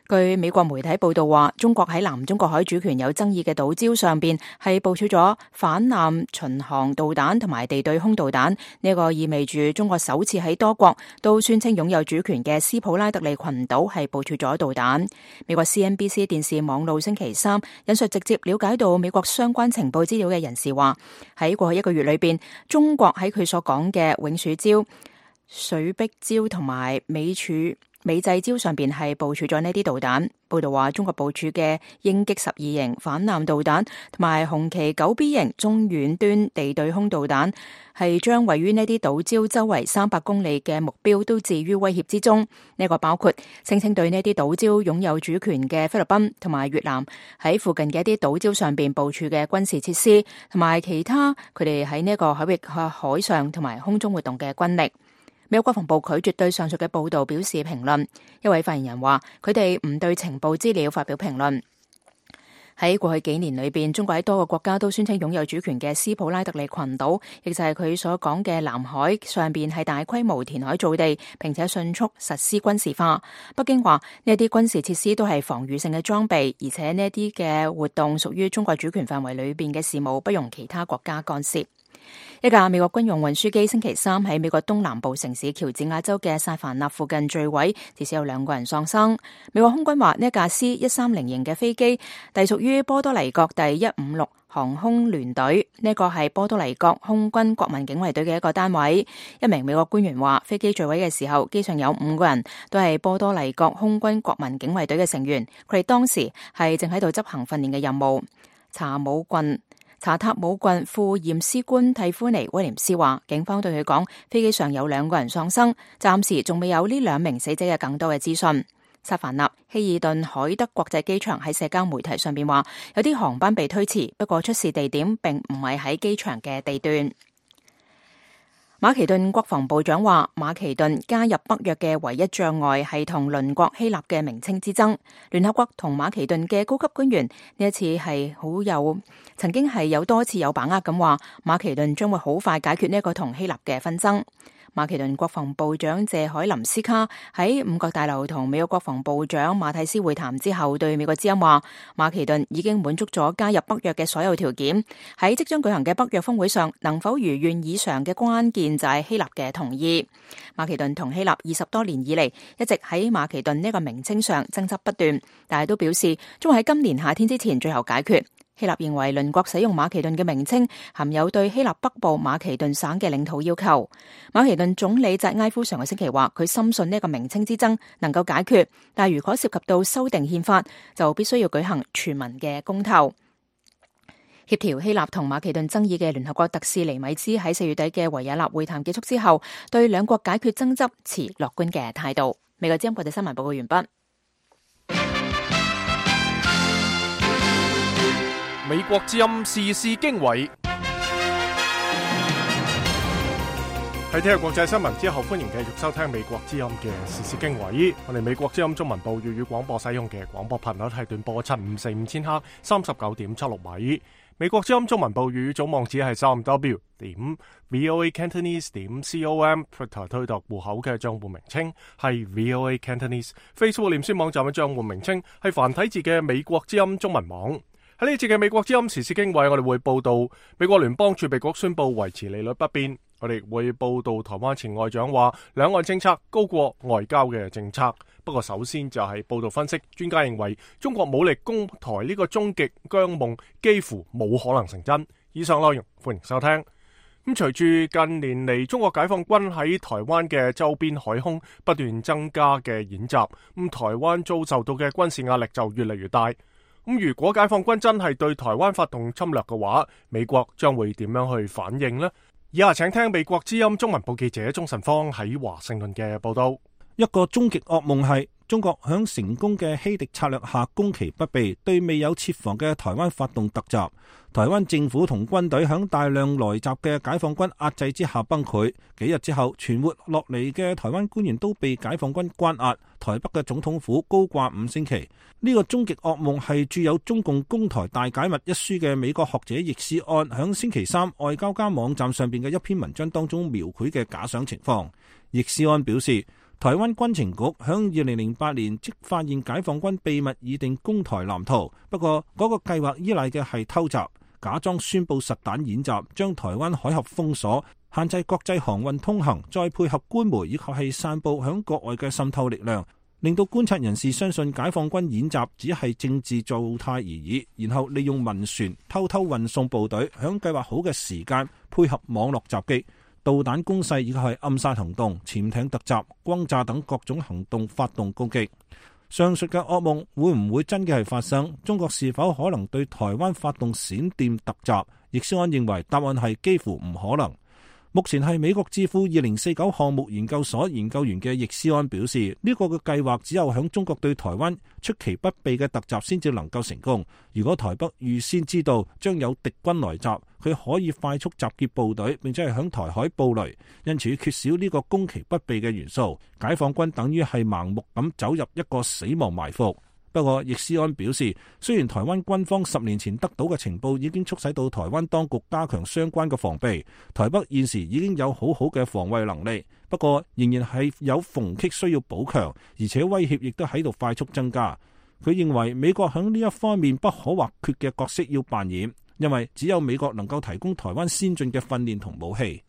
據美國媒體報道話，中國喺南中國海主權有爭議嘅島礁上邊係部署咗反艦巡航導彈同埋地對空導彈，呢個意味住中國首次喺多國都宣稱擁有主權嘅斯普拉特利群島係部署咗導彈。美國 C N B C 電視網路星期三引述直接了解到美國相關情報資料嘅人士話，喺過去一個月裏邊，中國喺佢所講嘅永暑礁、水碧礁同埋美柱美濟礁上邊係部署咗呢啲導彈。報道話，中國部署嘅鷹擊十二型反艦導彈同埋紅旗九 B 型中遠端地對空導彈，係將位於呢啲島礁周圍三百公里嘅目標都置於威脅之中。呢、這個包括聲稱對呢啲島礁擁有主權嘅菲律賓同埋越南喺附近嘅一啲島礁上邊部署嘅軍事設施，同埋其他佢哋喺呢個海域、海上同埋空中活動嘅軍力。美國國防部拒絕對上述嘅報道表示評論。一位發言人話，佢哋唔對情報資料發表評論。喺過去幾年裏邊，中國喺多個國家都宣稱擁有主權嘅斯普拉特利群島，亦就係佢所講嘅南海上邊係大規模填海造地，並且迅速實施軍事化。北京話呢啲軍事設施都係防禦性嘅裝備，而且呢啲嘅活動屬於中國主權範圍裏邊嘅事務，不容其他國家干涉。一架美國軍用運輸機星期三喺美國東南部城市喬治亞州嘅薩凡納附近墜毀，至少有兩個人喪生。美國空軍話呢一架 C 一三零型嘅飛機隸屬於波多黎各第一五六航空聯隊，呢個係波多黎各空軍國民警衛隊嘅一個單位。一名美國官員話，飛機墜毀嘅時候，機上有五個人，都係波多黎各空軍國民警衛隊嘅成員，佢哋當時係正喺度執行訓練嘅任務。查姆郡查塔姆郡副驗屍官蒂夫尼威廉斯話，警方對佢講，飛機上有兩個人喪生，暫時仲未有呢兩名死者嘅更多嘅資訊。薩凡納希爾頓海德國際機場喺社交媒體上邊話，有啲航班被推遲，不過出事地點並唔係喺機場嘅地段。馬其頓國防部長話，馬其頓加入北約嘅唯一障礙係同鄰國希臘嘅名稱之爭。聯合國同馬其頓嘅高級官員呢一次係好有曾經係有多次有把握咁話，馬其頓將會好快解決呢一個同希臘嘅紛爭。馬其頓國防部長謝海林斯卡喺五角大樓同美國國防部長馬蒂斯會談之後，對美國之音話：馬其頓已經滿足咗加入北約嘅所有條件。喺即將舉行嘅北約峰會上，能否如願以償嘅關鍵就係希臘嘅同意。馬其頓同希臘二十多年以嚟一直喺馬其頓呢個名稱上爭執不斷，但係都表示將會喺今年夏天之前最後解決。希臘認為鄰國使用馬其頓嘅名稱含有對希臘北部馬其頓省嘅領土要求。馬其頓總理扎埃夫上個星期話，佢深信呢個名稱之爭能夠解決，但係如果涉及到修訂憲法，就必須要舉行全民嘅公投。協調希臘同馬其頓爭議嘅聯合國特使尼米茲喺四月底嘅維也納會談結束之後，對兩國解決爭執持樂觀嘅態度。美國之音國際新聞報告完畢。美國之音時事經緯，喺聽日國際新聞之後，歡迎繼續收聽美國之音嘅時事經緯。我哋美國之音中文部粵語廣播使用嘅廣播頻率係短波七五四五千赫，三十九點七六米。美國之音中文部粵語總網址係三 w 點 voa cantonese 點 com，Twitter 推特戶口嘅賬戶名稱係 voa cantonese，Facebook 臉書網站嘅賬戶名稱係繁體字嘅美國之音中文網。喺呢節嘅美國之音時事經緯，我哋會報道美國聯邦儲備局宣布維持利率不變。我哋會報道台灣前外長話兩岸政策高過外交嘅政策。不過首先就係報道分析，專家認為中國武力攻台呢個終極疆夢幾乎冇可能成真。以上內容歡迎收聽。咁隨住近年嚟中國解放軍喺台灣嘅周邊海空不斷增加嘅演習，咁台灣遭受到嘅軍事壓力就越嚟越大。咁如果解放軍真係對台灣發動侵略嘅話，美國將會點樣去反應呢？以下請聽美國之音中文部記者鍾晨芳喺華盛頓嘅報道。一個終極噩夢係中國響成功嘅欺敵策略下攻其不備，對未有設防嘅台灣發動突襲。台灣政府同軍隊響大量來襲嘅解放軍壓制之下崩潰。幾日之後，存活落嚟嘅台灣官員都被解放軍關押。台北嘅總統府高掛五星旗。呢、這個終極噩夢係著有《中共攻台大解密》一書嘅美國學者易思安響星期三外交家網站上邊嘅一篇文章當中描繪嘅假想情況。易思安表示，台灣軍情局響二零零八年即發現解放軍秘密擬定攻台藍圖，不過嗰個計劃依賴嘅係偷襲，假裝宣布實彈演習，將台灣海峽封鎖，限制國際航運通行，再配合官媒以及係散布響國外嘅滲透力量，令到觀察人士相信解放軍演習只係政治造態而已，然後利用民船偷偷運送部隊，響計劃好嘅時間配合網絡襲擊、導彈攻勢以及係暗殺行動、潛艇突襲、轟炸等各種行動發動攻擊。上述嘅噩夢會唔會真嘅係發生？中國是否可能對台灣發動閃電突襲？易思安認為答案係幾乎唔可能。目前係美國智庫二零四九項目研究所研究員嘅易思安表示，呢、這個嘅計劃只有響中國對台灣出其不備嘅突襲先至能夠成功。如果台北預先知道將有敵軍來襲，佢可以快速集結部隊，並且係響台海布雷，因此缺少呢個攻其不備嘅元素，解放軍等於係盲目咁走入一個死亡埋伏。不過，易思安表示，雖然台灣軍方十年前得到嘅情報已經促使到台灣當局加強相關嘅防備，台北現時已經有好好嘅防衛能力，不過仍然係有縫隙需要補強，而且威脅亦都喺度快速增加。佢認為美國喺呢一方面不可或缺嘅角色要扮演，因為只有美國能夠提供台灣先進嘅訓練同武器。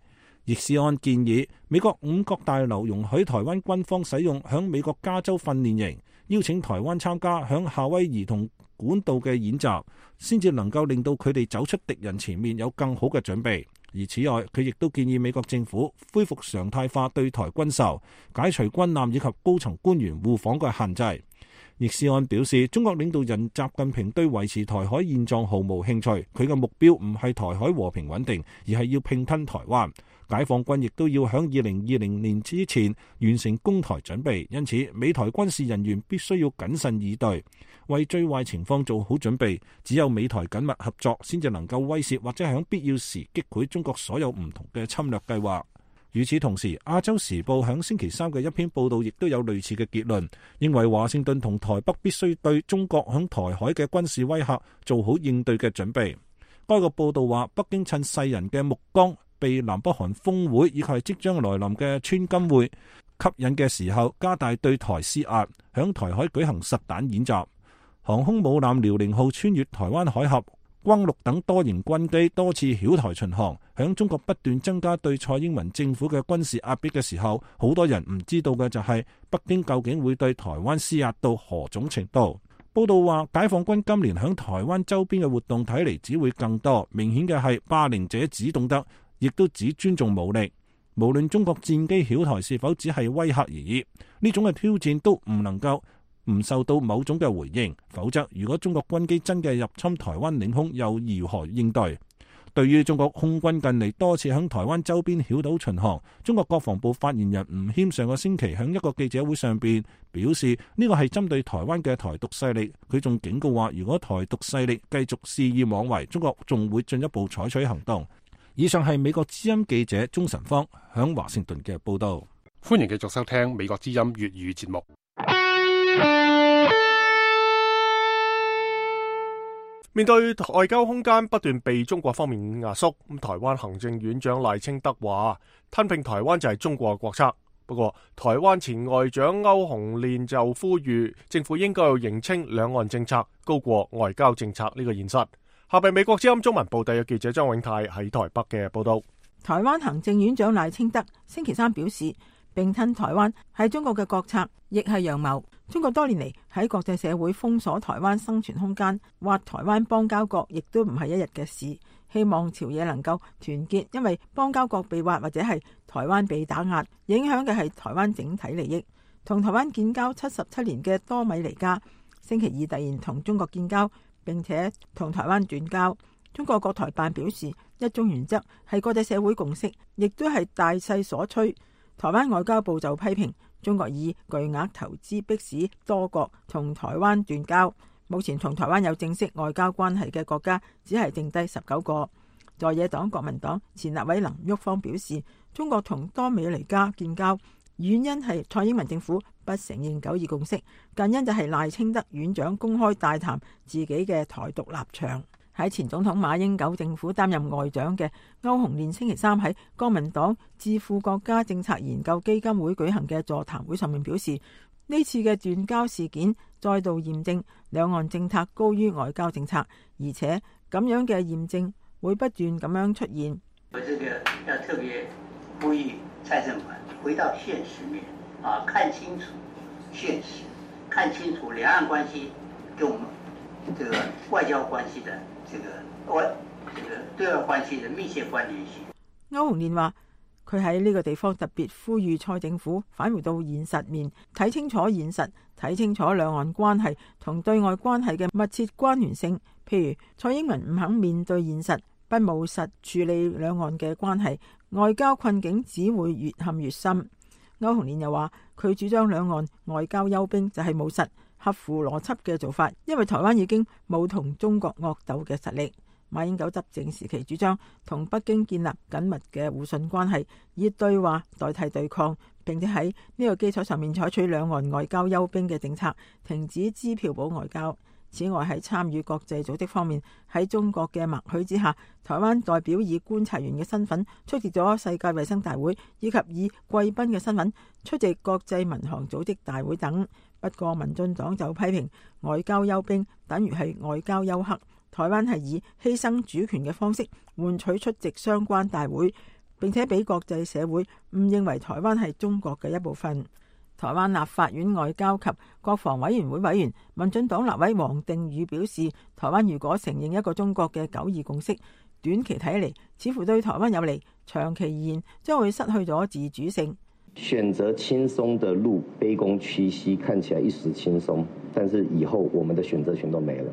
易思安建議美國五角大樓容許台灣軍方使用響美國加州訓練營，邀請台灣參加響夏威夷同管道嘅演習，先至能夠令到佢哋走出敵人前面有更好嘅準備。而此外，佢亦都建議美國政府恢復常態化對台軍售，解除軍艦以及高層官員互訪嘅限制。易思安表示，中國領導人習近平對維持台海現狀毫無興趣，佢嘅目標唔係台海和平穩定，而係要併吞台灣。解放軍亦都要響二零二零年之前完成攻台準備，因此美台軍事人員必須要謹慎以對，為最壞情況做好準備。只有美台緊密合作，先至能夠威懾或者響必要時擊潰中國所有唔同嘅侵略計劃。與此同時，亞洲時報響星期三嘅一篇報道亦都有類似嘅結論，認為華盛頓同台北必須對中國響台海嘅軍事威嚇做好應對嘅準備。該個報道話，北京趁世人嘅目光避南北韓峰會以及係即將來臨嘅川金會吸引嘅時候，加大對台施壓，響台海舉行實彈演習。航空母艦遼寧號穿越台灣海峽，轟六等多型軍機多次繞台巡航。響中國不斷增加對蔡英文政府嘅軍事壓迫嘅時候，好多人唔知道嘅就係北京究竟會對台灣施壓到何種程度。報道話，解放軍今年響台灣周邊嘅活動睇嚟只會更多，明顯嘅係霸凌者只懂得，亦都只尊重武力。無論中國戰機繞台是否只係威嚇而已，呢種嘅挑戰都唔能夠唔受到某種嘅回應，否則如果中國軍機真嘅入侵台灣領空，又如何應對？對於中國空軍近嚟多次響台灣周邊繞島巡航，中國國防部發言人吳謙上個星期響一個記者會上邊表示，呢個係針對台灣嘅台獨勢力。佢仲警告話，如果台獨勢力繼續肆意妄為，中國仲會進一步採取行動。以上係美國之音記者鍾晨芳響華盛頓嘅報道。歡迎繼續收聽美國之音粵語節目。面對外交空間不斷被中國方面壓縮，咁台灣行政院長賴清德話吞併台灣就係中國嘅國策。不過台灣前外長歐鴻練就呼籲政府應該要認清兩岸政策高過外交政策呢個現實。下邊美國之音中文部第嘅記者張永泰喺台北嘅報道。台灣行政院長賴清德星期三表示，併吞台灣係中國嘅國策，亦係陽謀。中國多年嚟喺國際社會封鎖台灣生存空間，挖台灣邦交國亦都唔係一日嘅事。希望朝野能夠團結，因為邦交國被挖或者係台灣被打壓，影響嘅係台灣整體利益。同台灣建交七十七年嘅多米尼加星期二突然同中國建交，並且同台灣斷交。中國國台辦表示，一中原則係國際社會共識，亦都係大勢所趨。台灣外交部就批評中國以巨額投資迫使多國同台灣斷交。目前同台灣有正式外交關係嘅國家只係剩低十九個。在野黨國民黨前立委林旭芳表示，中國同多米尼加建交原因係蔡英文政府不承認九二共識，近因就係賴清德院長公開大談自己嘅台獨立場。喺前總統馬英九政府擔任外長嘅歐鴻練星期三喺國民黨智庫國家政策研究基金會舉行嘅座談會上面表示，呢次嘅斷交事件再度驗證兩岸政策高於外交政策，而且咁樣嘅驗證會不斷咁樣出現。我這個要特別呼籲蔡政府回到現實面啊，看清楚現實，看清楚兩岸關係跟我們這個外交關係的這個外這個對外關係的密切關聯性。歐鴻練話，佢喺呢個地方特別呼籲蔡政府返回到現實面，睇清楚現實，睇清楚兩岸關係同對外關係嘅密切關聯性。譬如蔡英文唔肯面對現實，不務實處理兩岸嘅關係，外交困境只會越陷越深。歐鴻練又話，佢主張兩岸外交休兵就係務實、合乎邏輯嘅做法，因為台灣已經冇同中國惡鬥嘅實力。馬英九執政時期主張同北京建立緊密嘅互信關係，以對話代替對抗，並且喺呢個基礎上面採取兩岸外交休兵嘅政策，停止支票簿外交。此外，喺參與國際組織方面，喺中國嘅默許之下，台灣代表以觀察員嘅身份出席咗世界衛生大會，以及以貴賓嘅身份出席國際民航組織大會等。不過民進黨就批評外交休兵等於係外交休克，台灣係以犧牲主權嘅方式換取出席相關大會，並且俾國際社會誤認為台灣係中國嘅一部分。台灣立法院外交及國防委員會委員、民進黨立委王定宇表示，台灣如果承認一個中國嘅九二共識，短期睇嚟似乎對台灣有利，長期而言將會失去咗自主性。選擇輕鬆的路，卑躬屈膝，看起來一時輕鬆，但是以後我們的選擇權都沒了。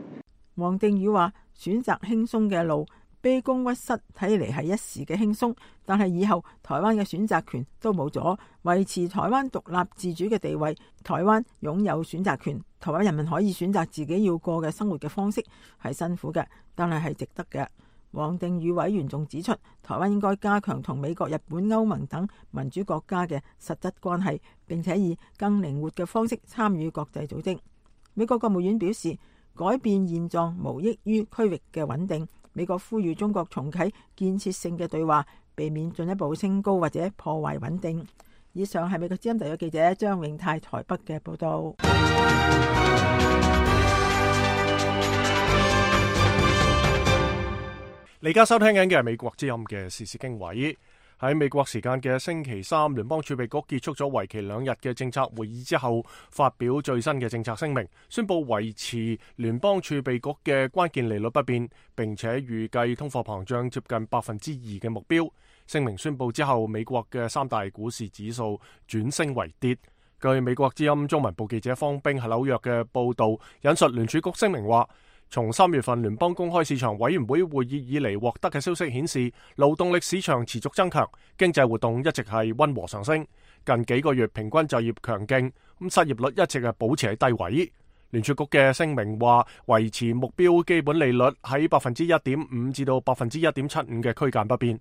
王定宇話：選擇輕鬆嘅路，卑躬屈膝，睇嚟係一時嘅輕鬆，但係以後台灣嘅選擇權都冇咗，維持台灣獨立自主嘅地位。台灣擁有選擇權，台灣人民可以選擇自己要過嘅生活嘅方式，係辛苦嘅，但係係值得嘅。王定宇委員仲指出，台灣應該加強同美國、日本、歐盟等民主國家嘅實質關係，並且以更靈活嘅方式參與國際組織。美國國務院表示，改變現狀無益於區域嘅穩定。美國呼籲中國重啟建設性嘅對話，避免進一步升高或者破壞穩定。以上係美國之音特約記者張永泰台北嘅報道。你而家收聽緊嘅係美國之音嘅時事經緯。喺美國時間嘅星期三，聯邦儲備局結束咗為期兩日嘅政策會議之後，發表最新嘅政策聲明，宣布維持聯邦儲備局嘅關鍵利率不變，並且預計通貨膨脹接近百分之二嘅目標。聲明宣布之後，美國嘅三大股市指數轉升為跌。據美國之音中文部記者方冰喺紐約嘅報道，引述聯儲局聲明話，從三月份聯邦公開市場委員會會議以嚟獲得嘅消息顯示，勞動力市場持續增強，經濟活動一直係溫和上升。近幾個月平均就業強勁，咁失業率一直係保持喺低位。聯儲局嘅聲明話，維持目標基本利率喺百分之一點五至到百分之一點七五嘅區間不變。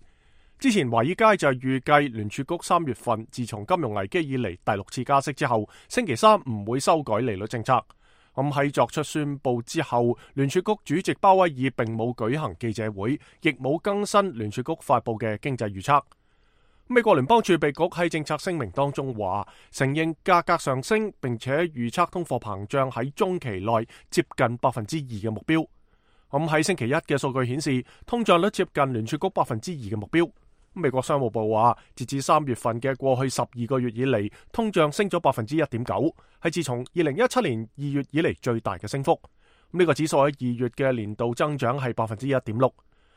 之前華爾街就預計聯儲局三月份自從金融危機以嚟第六次加息之後，星期三唔會修改利率政策。咁喺作出宣布之後，聯儲局主席鮑威爾並冇舉行記者會，亦冇更新聯儲局發佈嘅經濟預測。美國聯邦儲備局喺政策聲明當中話，承認價格上升，並且預測通貨膨脹喺中期內接近百分之二嘅目標。咁喺星期一嘅數據顯示，通脹率接近聯儲局百分之二嘅目標。美國商務部話，截至三月份嘅過去十二個月以嚟，通脹升咗百分之一點九，係自從二零一七年二月以嚟最大嘅升幅。呢、這個指數喺二月嘅年度增長係百分之一點六。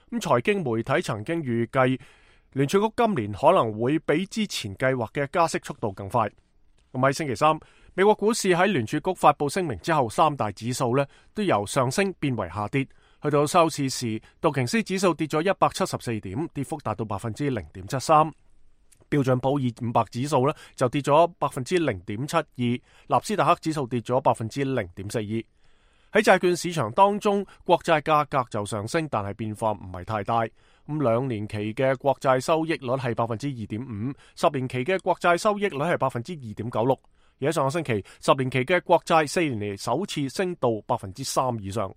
咁財經媒體曾經預計聯儲局今年可能會比之前計劃嘅加息速度更快。咁喺星期三，美國股市喺聯儲局發佈聲明之後，三大指數呢都由上升變為下跌。去到收市時，道瓊斯指數跌咗一百七十四點，跌幅達到百分之零點七三。標準普爾五百指數呢就跌咗百分之零點七二，納斯達克指數跌咗百分之零點四二。喺債券市場當中，國債價格就上升，但係變化唔係太大。咁兩年期嘅國債收益率係百分之二點五，十年期嘅國債收益率係百分之二點九六。而喺上個星期，十年期嘅國債四年嚟首次升到百分之三以上。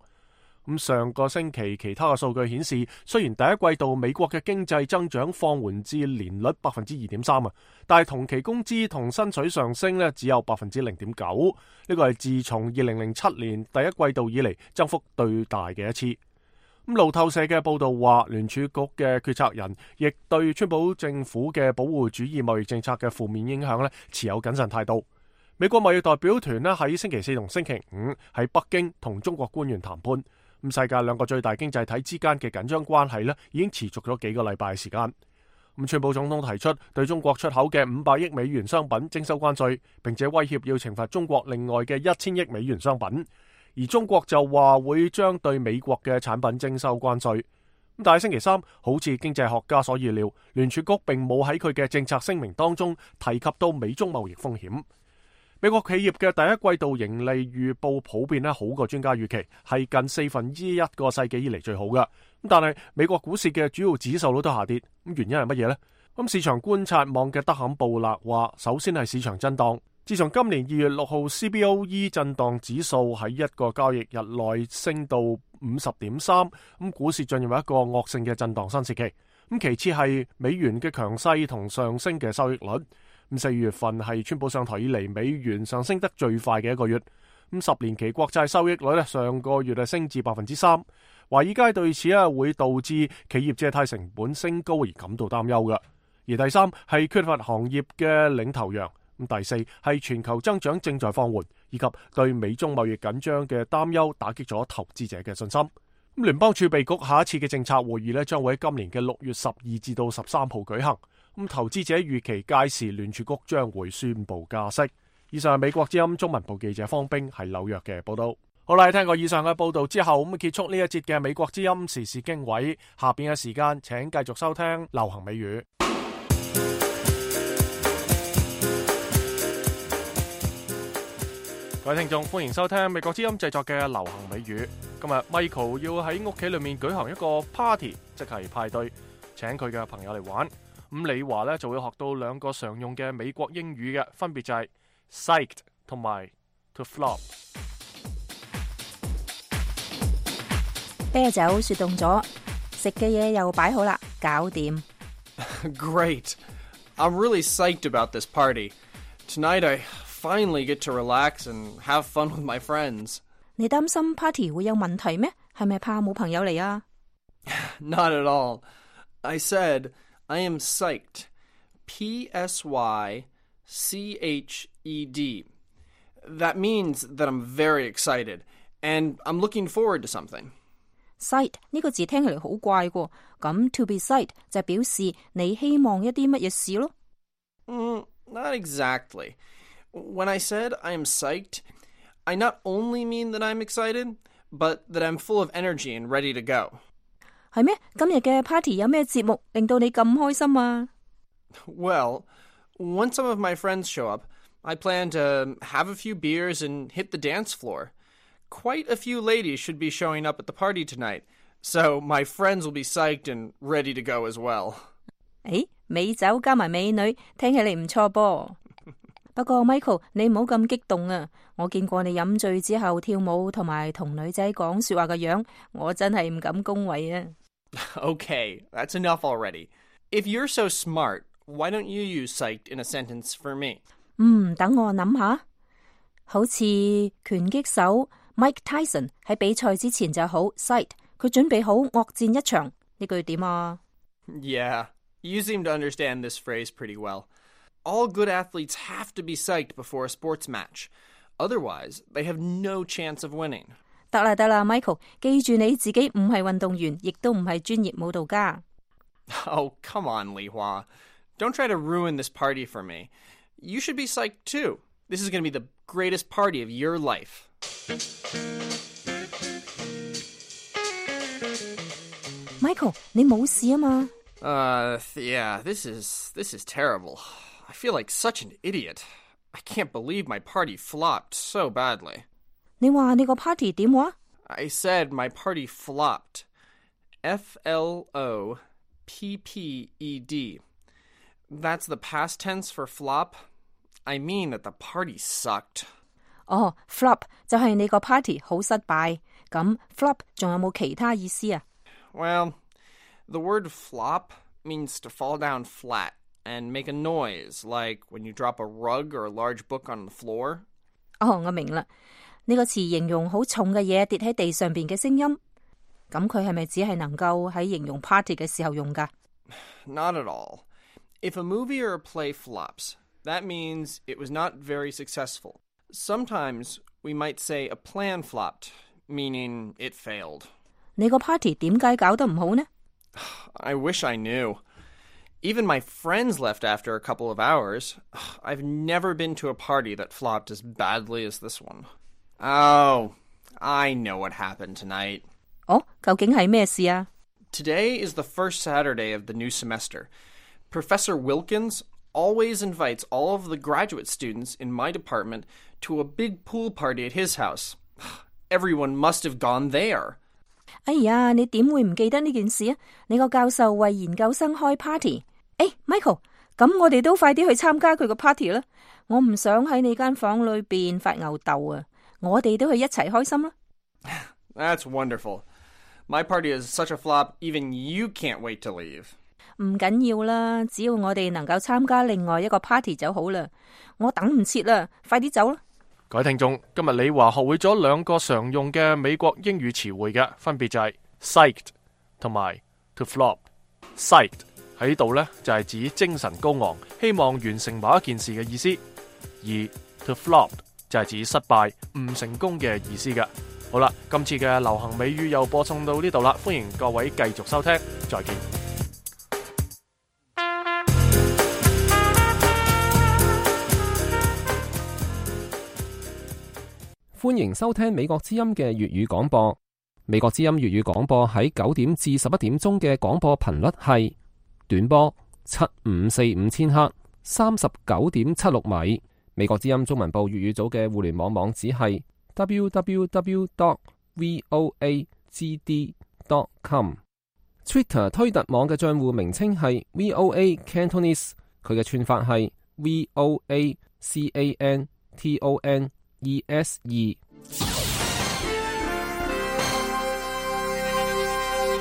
咁上個星期其他嘅數據顯示，雖然第一季度美國嘅經濟增長放緩至年率百分之二點三啊，但係同期工資同薪水上升呢只有百分之零點九，呢個係自從二零零七年第一季度以嚟增幅最大嘅一次。咁路透社嘅報道話，聯儲局嘅決策人亦對川普政府嘅保護主義貿易政策嘅負面影響呢持有謹慎態度。美國貿易代表團呢喺星期四同星期五喺北京同中國官員談判。咁世界兩個最大經濟體之間嘅緊張關係呢已經持續咗幾個禮拜嘅時間。咁川普總統提出對中國出口嘅五百億美元商品徵收關稅，並且威脅要懲罰中國另外嘅一千億美元商品。而中國就話會將對美國嘅產品徵收關稅。咁但係星期三，好似經濟學家所預料，聯儲局並冇喺佢嘅政策聲明當中提及到美中貿易風險。美國企業嘅第一季度盈利預報普遍咧好過專家預期，係近四分之一個世紀以嚟最好嘅。咁但係美國股市嘅主要指數都下跌，咁原因係乜嘢呢？咁市場觀察網嘅德坎布勒話，首先係市場震盪。自從今年二月六號 C B O E 震盪指數喺一個交易日內升到五十點三，咁股市進入一個惡性嘅震盪新時期。咁其次係美元嘅強勢同上升嘅收益率。咁四月份係川普上台以嚟美元上升得最快嘅一個月。咁十年期國債收益率咧，上個月係升至百分之三。華爾街對此啊會導致企業借貸成本升高而感到擔憂嘅。而第三係缺乏行業嘅領頭羊。咁第四係全球增長正在放緩，以及對美中貿易緊張嘅擔憂打擊咗投資者嘅信心。咁聯邦儲備局下一次嘅政策會議咧，將會喺今年嘅六月十二至到十三號舉行。咁投資者預期屆時聯儲局將會宣布加息。以上係美國之音中文部記者方冰喺紐約嘅報道。好啦，聽過以上嘅報道之後，咁結束呢一節嘅美國之音時事經緯。下邊嘅時間，請繼續收聽流行美語。各位聽眾，歡迎收聽美國之音製作嘅流行美語。今日 Michael 要喺屋企裏面舉行一個 party， 即係派對，請佢嘅朋友嚟玩。咁李華咧就會學到兩個常用嘅美國英語嘅，分別就係 psyched 同埋 to flop。啤酒雪凍咗，食嘅嘢又擺好啦，搞掂。Great. I'm really psyched about this party. Tonight I finally get to relax and have fun with my friends. 你擔心 party 會有問題咩？係咪怕冇朋友嚟啊？ Not at all. I said I am psyched. P S Y C H E D. That means that I'm very excited, and I'm looking forward to something. Psyched 呢個字聽起嚟好怪喎，咁 to be psyched 就表示你希望一啲乜嘢事咯。Mm, not exactly. When I said I am psyched, I not only mean that I'm excited, but that I'm full of energy and ready to go. 係咩？今日嘅 party 有咩節目令到你咁開心啊？ Well, once some of my friends show up, I plan to have a few beers and hit the dance floor. Quite a few ladies should be showing up at the party tonight, so my friends will be psyched and ready to go as well. 誒，美酒加埋美女，聽起嚟唔錯噃。不過 Michael， 你唔好咁激動啊！我見過你飲醉之後跳舞同埋同女仔講說話嘅樣，我真係唔敢恭維啊。Okay, that's enough already. If you're so smart, why don't you use psyched in a sentence for me? 嗯，等我諗下。好似拳擊手 Mike Tyson 喺比賽之前就好 psyched， 佢準備好惡戰一場。呢句點啊？ Yeah, you seem to understand this phrase pretty well. All good athletes have to be psyched before a sports match. Otherwise, they have no chance of winning. 得啦得啦 ，Michael， 記住你自己唔係運動員，亦都唔係專業舞蹈家。Oh, come on, Li Hua. Don't try to ruin this party for me. You should be psyched too. This is going to be the greatest party of your life. Michael， 你冇事啊嘛？ Uh, yeah, this is this is terrible. I feel like such an idiot. I can't believe my party flopped so badly. 你話你個 party 點話？ I said my party flopped. F L O P P E D. That's the past tense for flop. I mean that the party sucked. 哦 flop 就係你個 party 好失敗。咁 flop 仲有冇其他意思啊？ Well, the word flop means to fall down flat and make a noise, like when you drop a rug or a large book on the floor. 哦，我明啦。呢個詞形容好重嘅嘢跌喺地上邊嘅聲音。咁佢係咪只係能夠喺形容 party 嘅時候用㗎？ Not at all. If a movie or a play flops, that means it was not very successful. Sometimes we might say a plan flopped, meaning it failed. 你個 party 點解搞得唔好呢？ I wish I knew. Even my friends left after a couple of hours. I've never been to a party that flopped as badly as this one. Oh, I know what happened tonight. 哦，究竟係咩事啊？ Today is the first Saturday of the new semester. Professor Wilkins always invites all of the graduate students in my department to a big pool party at his house. Everyone must have gone there. 哎呀，你點會唔記得呢件事啊？你個教授為研究生開 party。誒 ，Michael， 咁我哋都快啲去參加佢個 party 啦！我唔想喺你間房裏邊發吽哣啊！我哋都去一齊開心啦。That's wonderful. My party is such a flop, even you can't wait to leave. 唔緊要啦，只要我哋能夠參加另外一個 party 就好啦。我等唔切啦，快啲走啦！各位聽眾，今日李華學會咗兩個常用嘅美國英語詞彙嘅，分別就係 psyched 同埋 to flop。psyched 喺呢度呢，就係指精神高昂，希望完成某一件事嘅意思；而 to flop 就係指失敗、唔成功嘅意思嘅。好啦，今次嘅流行美語又播送到呢度啦，歡迎各位繼續收聽，再見。歡迎收聽美國之音嘅粵語廣播。美國之音粵語廣播喺九點至十一點鐘嘅廣播頻率係短波七五四五千赫，三十九點七六米。美國之音中文部粵語組嘅互聯網網址係 double-u double-u double-u dot voa g d dot com。Twitter 推特網嘅賬戶名稱係 V O A Cantonese， 佢嘅串法係 V O A C A N T O N E S 二。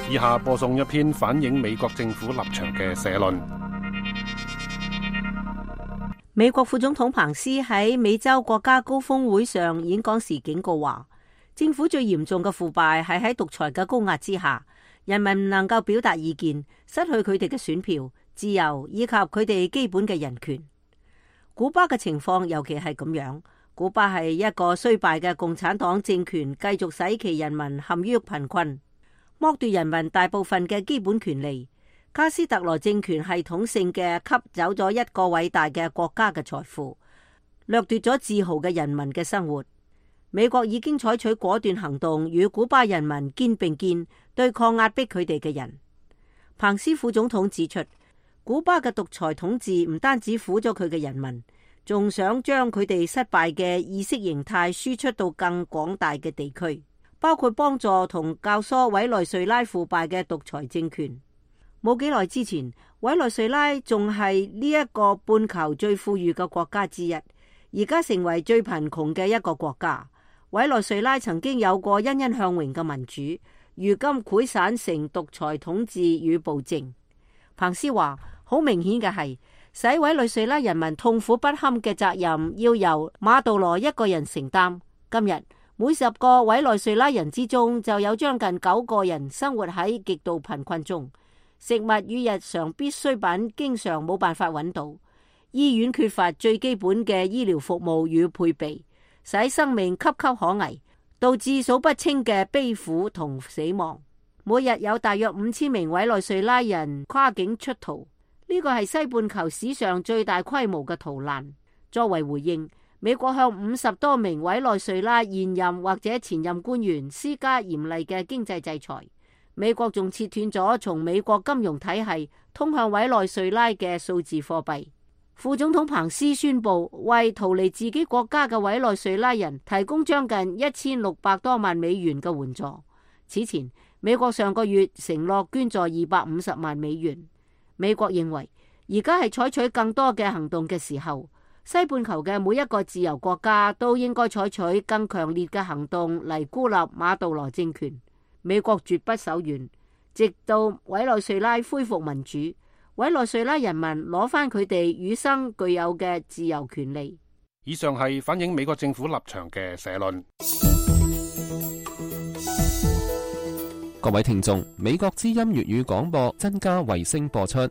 以下播送一篇反映美國政府立場嘅社論。美國副總統彭斯喺美洲國家高峰會上演講時警告話，政府最嚴重嘅腐敗係喺獨裁嘅高壓之下，人民唔能夠表達意見，失去佢哋嘅選票、自由以及佢哋基本嘅人權。古巴嘅情況尤其係咁樣，古巴係一個衰敗嘅共產黨政權，繼續使其人民陷於貧困，剝奪人民大部分嘅基本權利。卡斯特羅政權系統性嘅吸走咗一個偉大嘅國家嘅財富，掠奪咗自豪嘅人民嘅生活。美國已經採取果斷行動，與古巴人民肩並肩，對抗壓迫佢哋嘅人。彭斯副總統指出，古巴嘅獨裁統治唔單止苦咗佢嘅人民，仲想將佢哋失敗嘅意識形態輸出到更廣大嘅地區，包括幫助同教唆委內瑞拉腐敗嘅獨裁政權。冇幾耐之前，委內瑞拉仲係呢一個半球最富裕嘅國家之一，而家成為最貧窮嘅一個國家。委內瑞拉曾經有過欣欣向榮嘅民主，如今潰散成獨裁統治與暴政。彭斯話，好明顯嘅係，使委內瑞拉人民痛苦不堪嘅責任要由馬杜羅一個人承擔。今日每十個委內瑞拉人之中就有將近九個人生活喺極度貧困中。食物與日常必需品經常冇辦法揾到，醫院缺乏最基本嘅醫療服務與配備，使生命岌岌可危，導致數不清嘅悲苦同死亡。每日有大約五千名委內瑞拉人跨境出逃，呢個係西半球史上最大規模嘅逃難。作為回應，美國向五十多名委內瑞拉現任或者前任官員施加嚴厲嘅經濟制裁。美國仲切斷咗從美國金融體系通向委內瑞拉嘅數字貨幣。副總統彭斯宣布為逃離自己國家嘅委內瑞拉人提供將近一千六百多萬美元嘅援助。此前，美國上個月承諾捐助二百五十萬美元。美國認為而家係採取更多嘅行動嘅時候，西半球嘅每一個自由國家都應該採取更強烈嘅行動嚟孤立馬杜羅政權。美國絕不手軟，直到委內瑞拉恢復民主，委內瑞拉人民攞翻佢哋與生俱有嘅自由權利。以上係反映美國政府立場嘅社論。各位聽眾，美國之音粵語廣播增加衛星播出，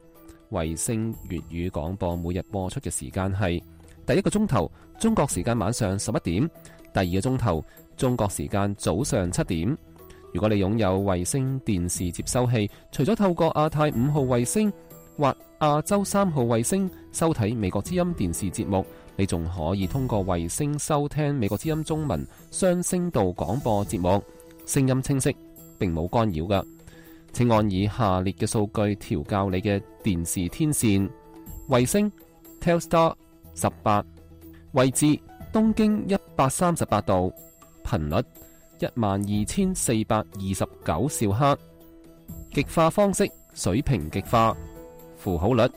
衛星粵語廣播每日播出嘅時間係第一個鐘頭中國時間晚上十一點，第二個鐘頭中國時間早上七點。如果你擁有衛星電視接收器，除咗透過亞太五號衛星或亞洲三號衛星收睇美國之音電視節目，你仲可以通過衛星收聽美國之音中文雙聲道廣播節目，聲音清晰，並冇干擾㗎。請按以下列嘅數據調校你嘅電視天線：衛星 Telstar 十八，位置東經一百三十八度，頻率一萬二千四百二十九兆赫，極化方式水平極化，符號率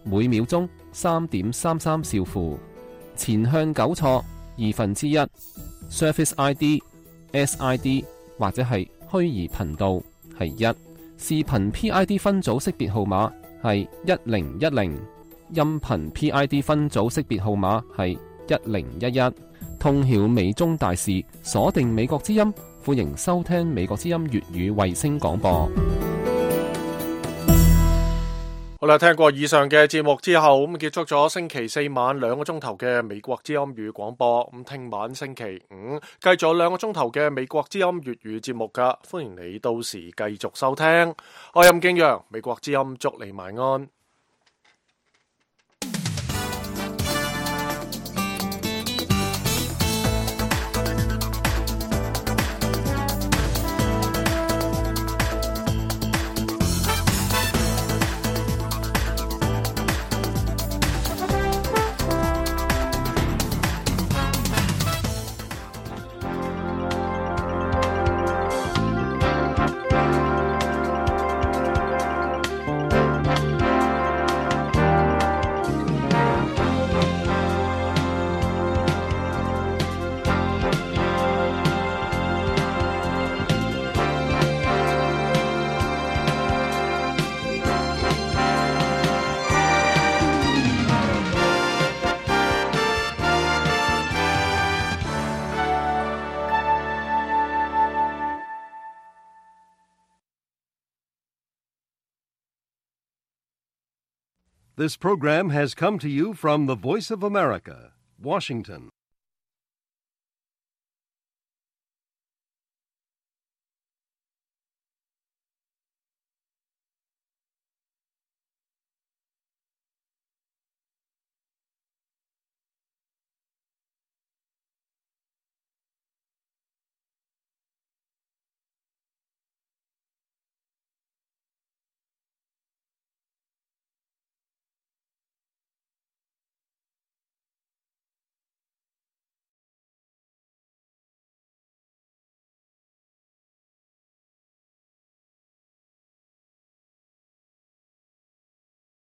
每秒鐘三點三三兆符，前向糾錯二分之一 ，Surface I D、S I D 或者係虛擬頻道係一，視頻 P I D 分組識別號碼係一零一零，音頻 P I D 分組識別號碼係一零一一。通曉美中大事，鎖定美國之音，歡迎收聽美國之音粵語衛星廣播。好啦，聽過以上嘅節目之後，咁結束咗星期四晚兩個鐘頭嘅美國之音粵語廣播。咁聽晚星期五繼續有兩個鐘頭嘅美國之音粵語節目噶，歡迎你到時繼續收聽。我係任敬陽，美國之音祝你晚安。This program has come to you from the Voice of America, Washington.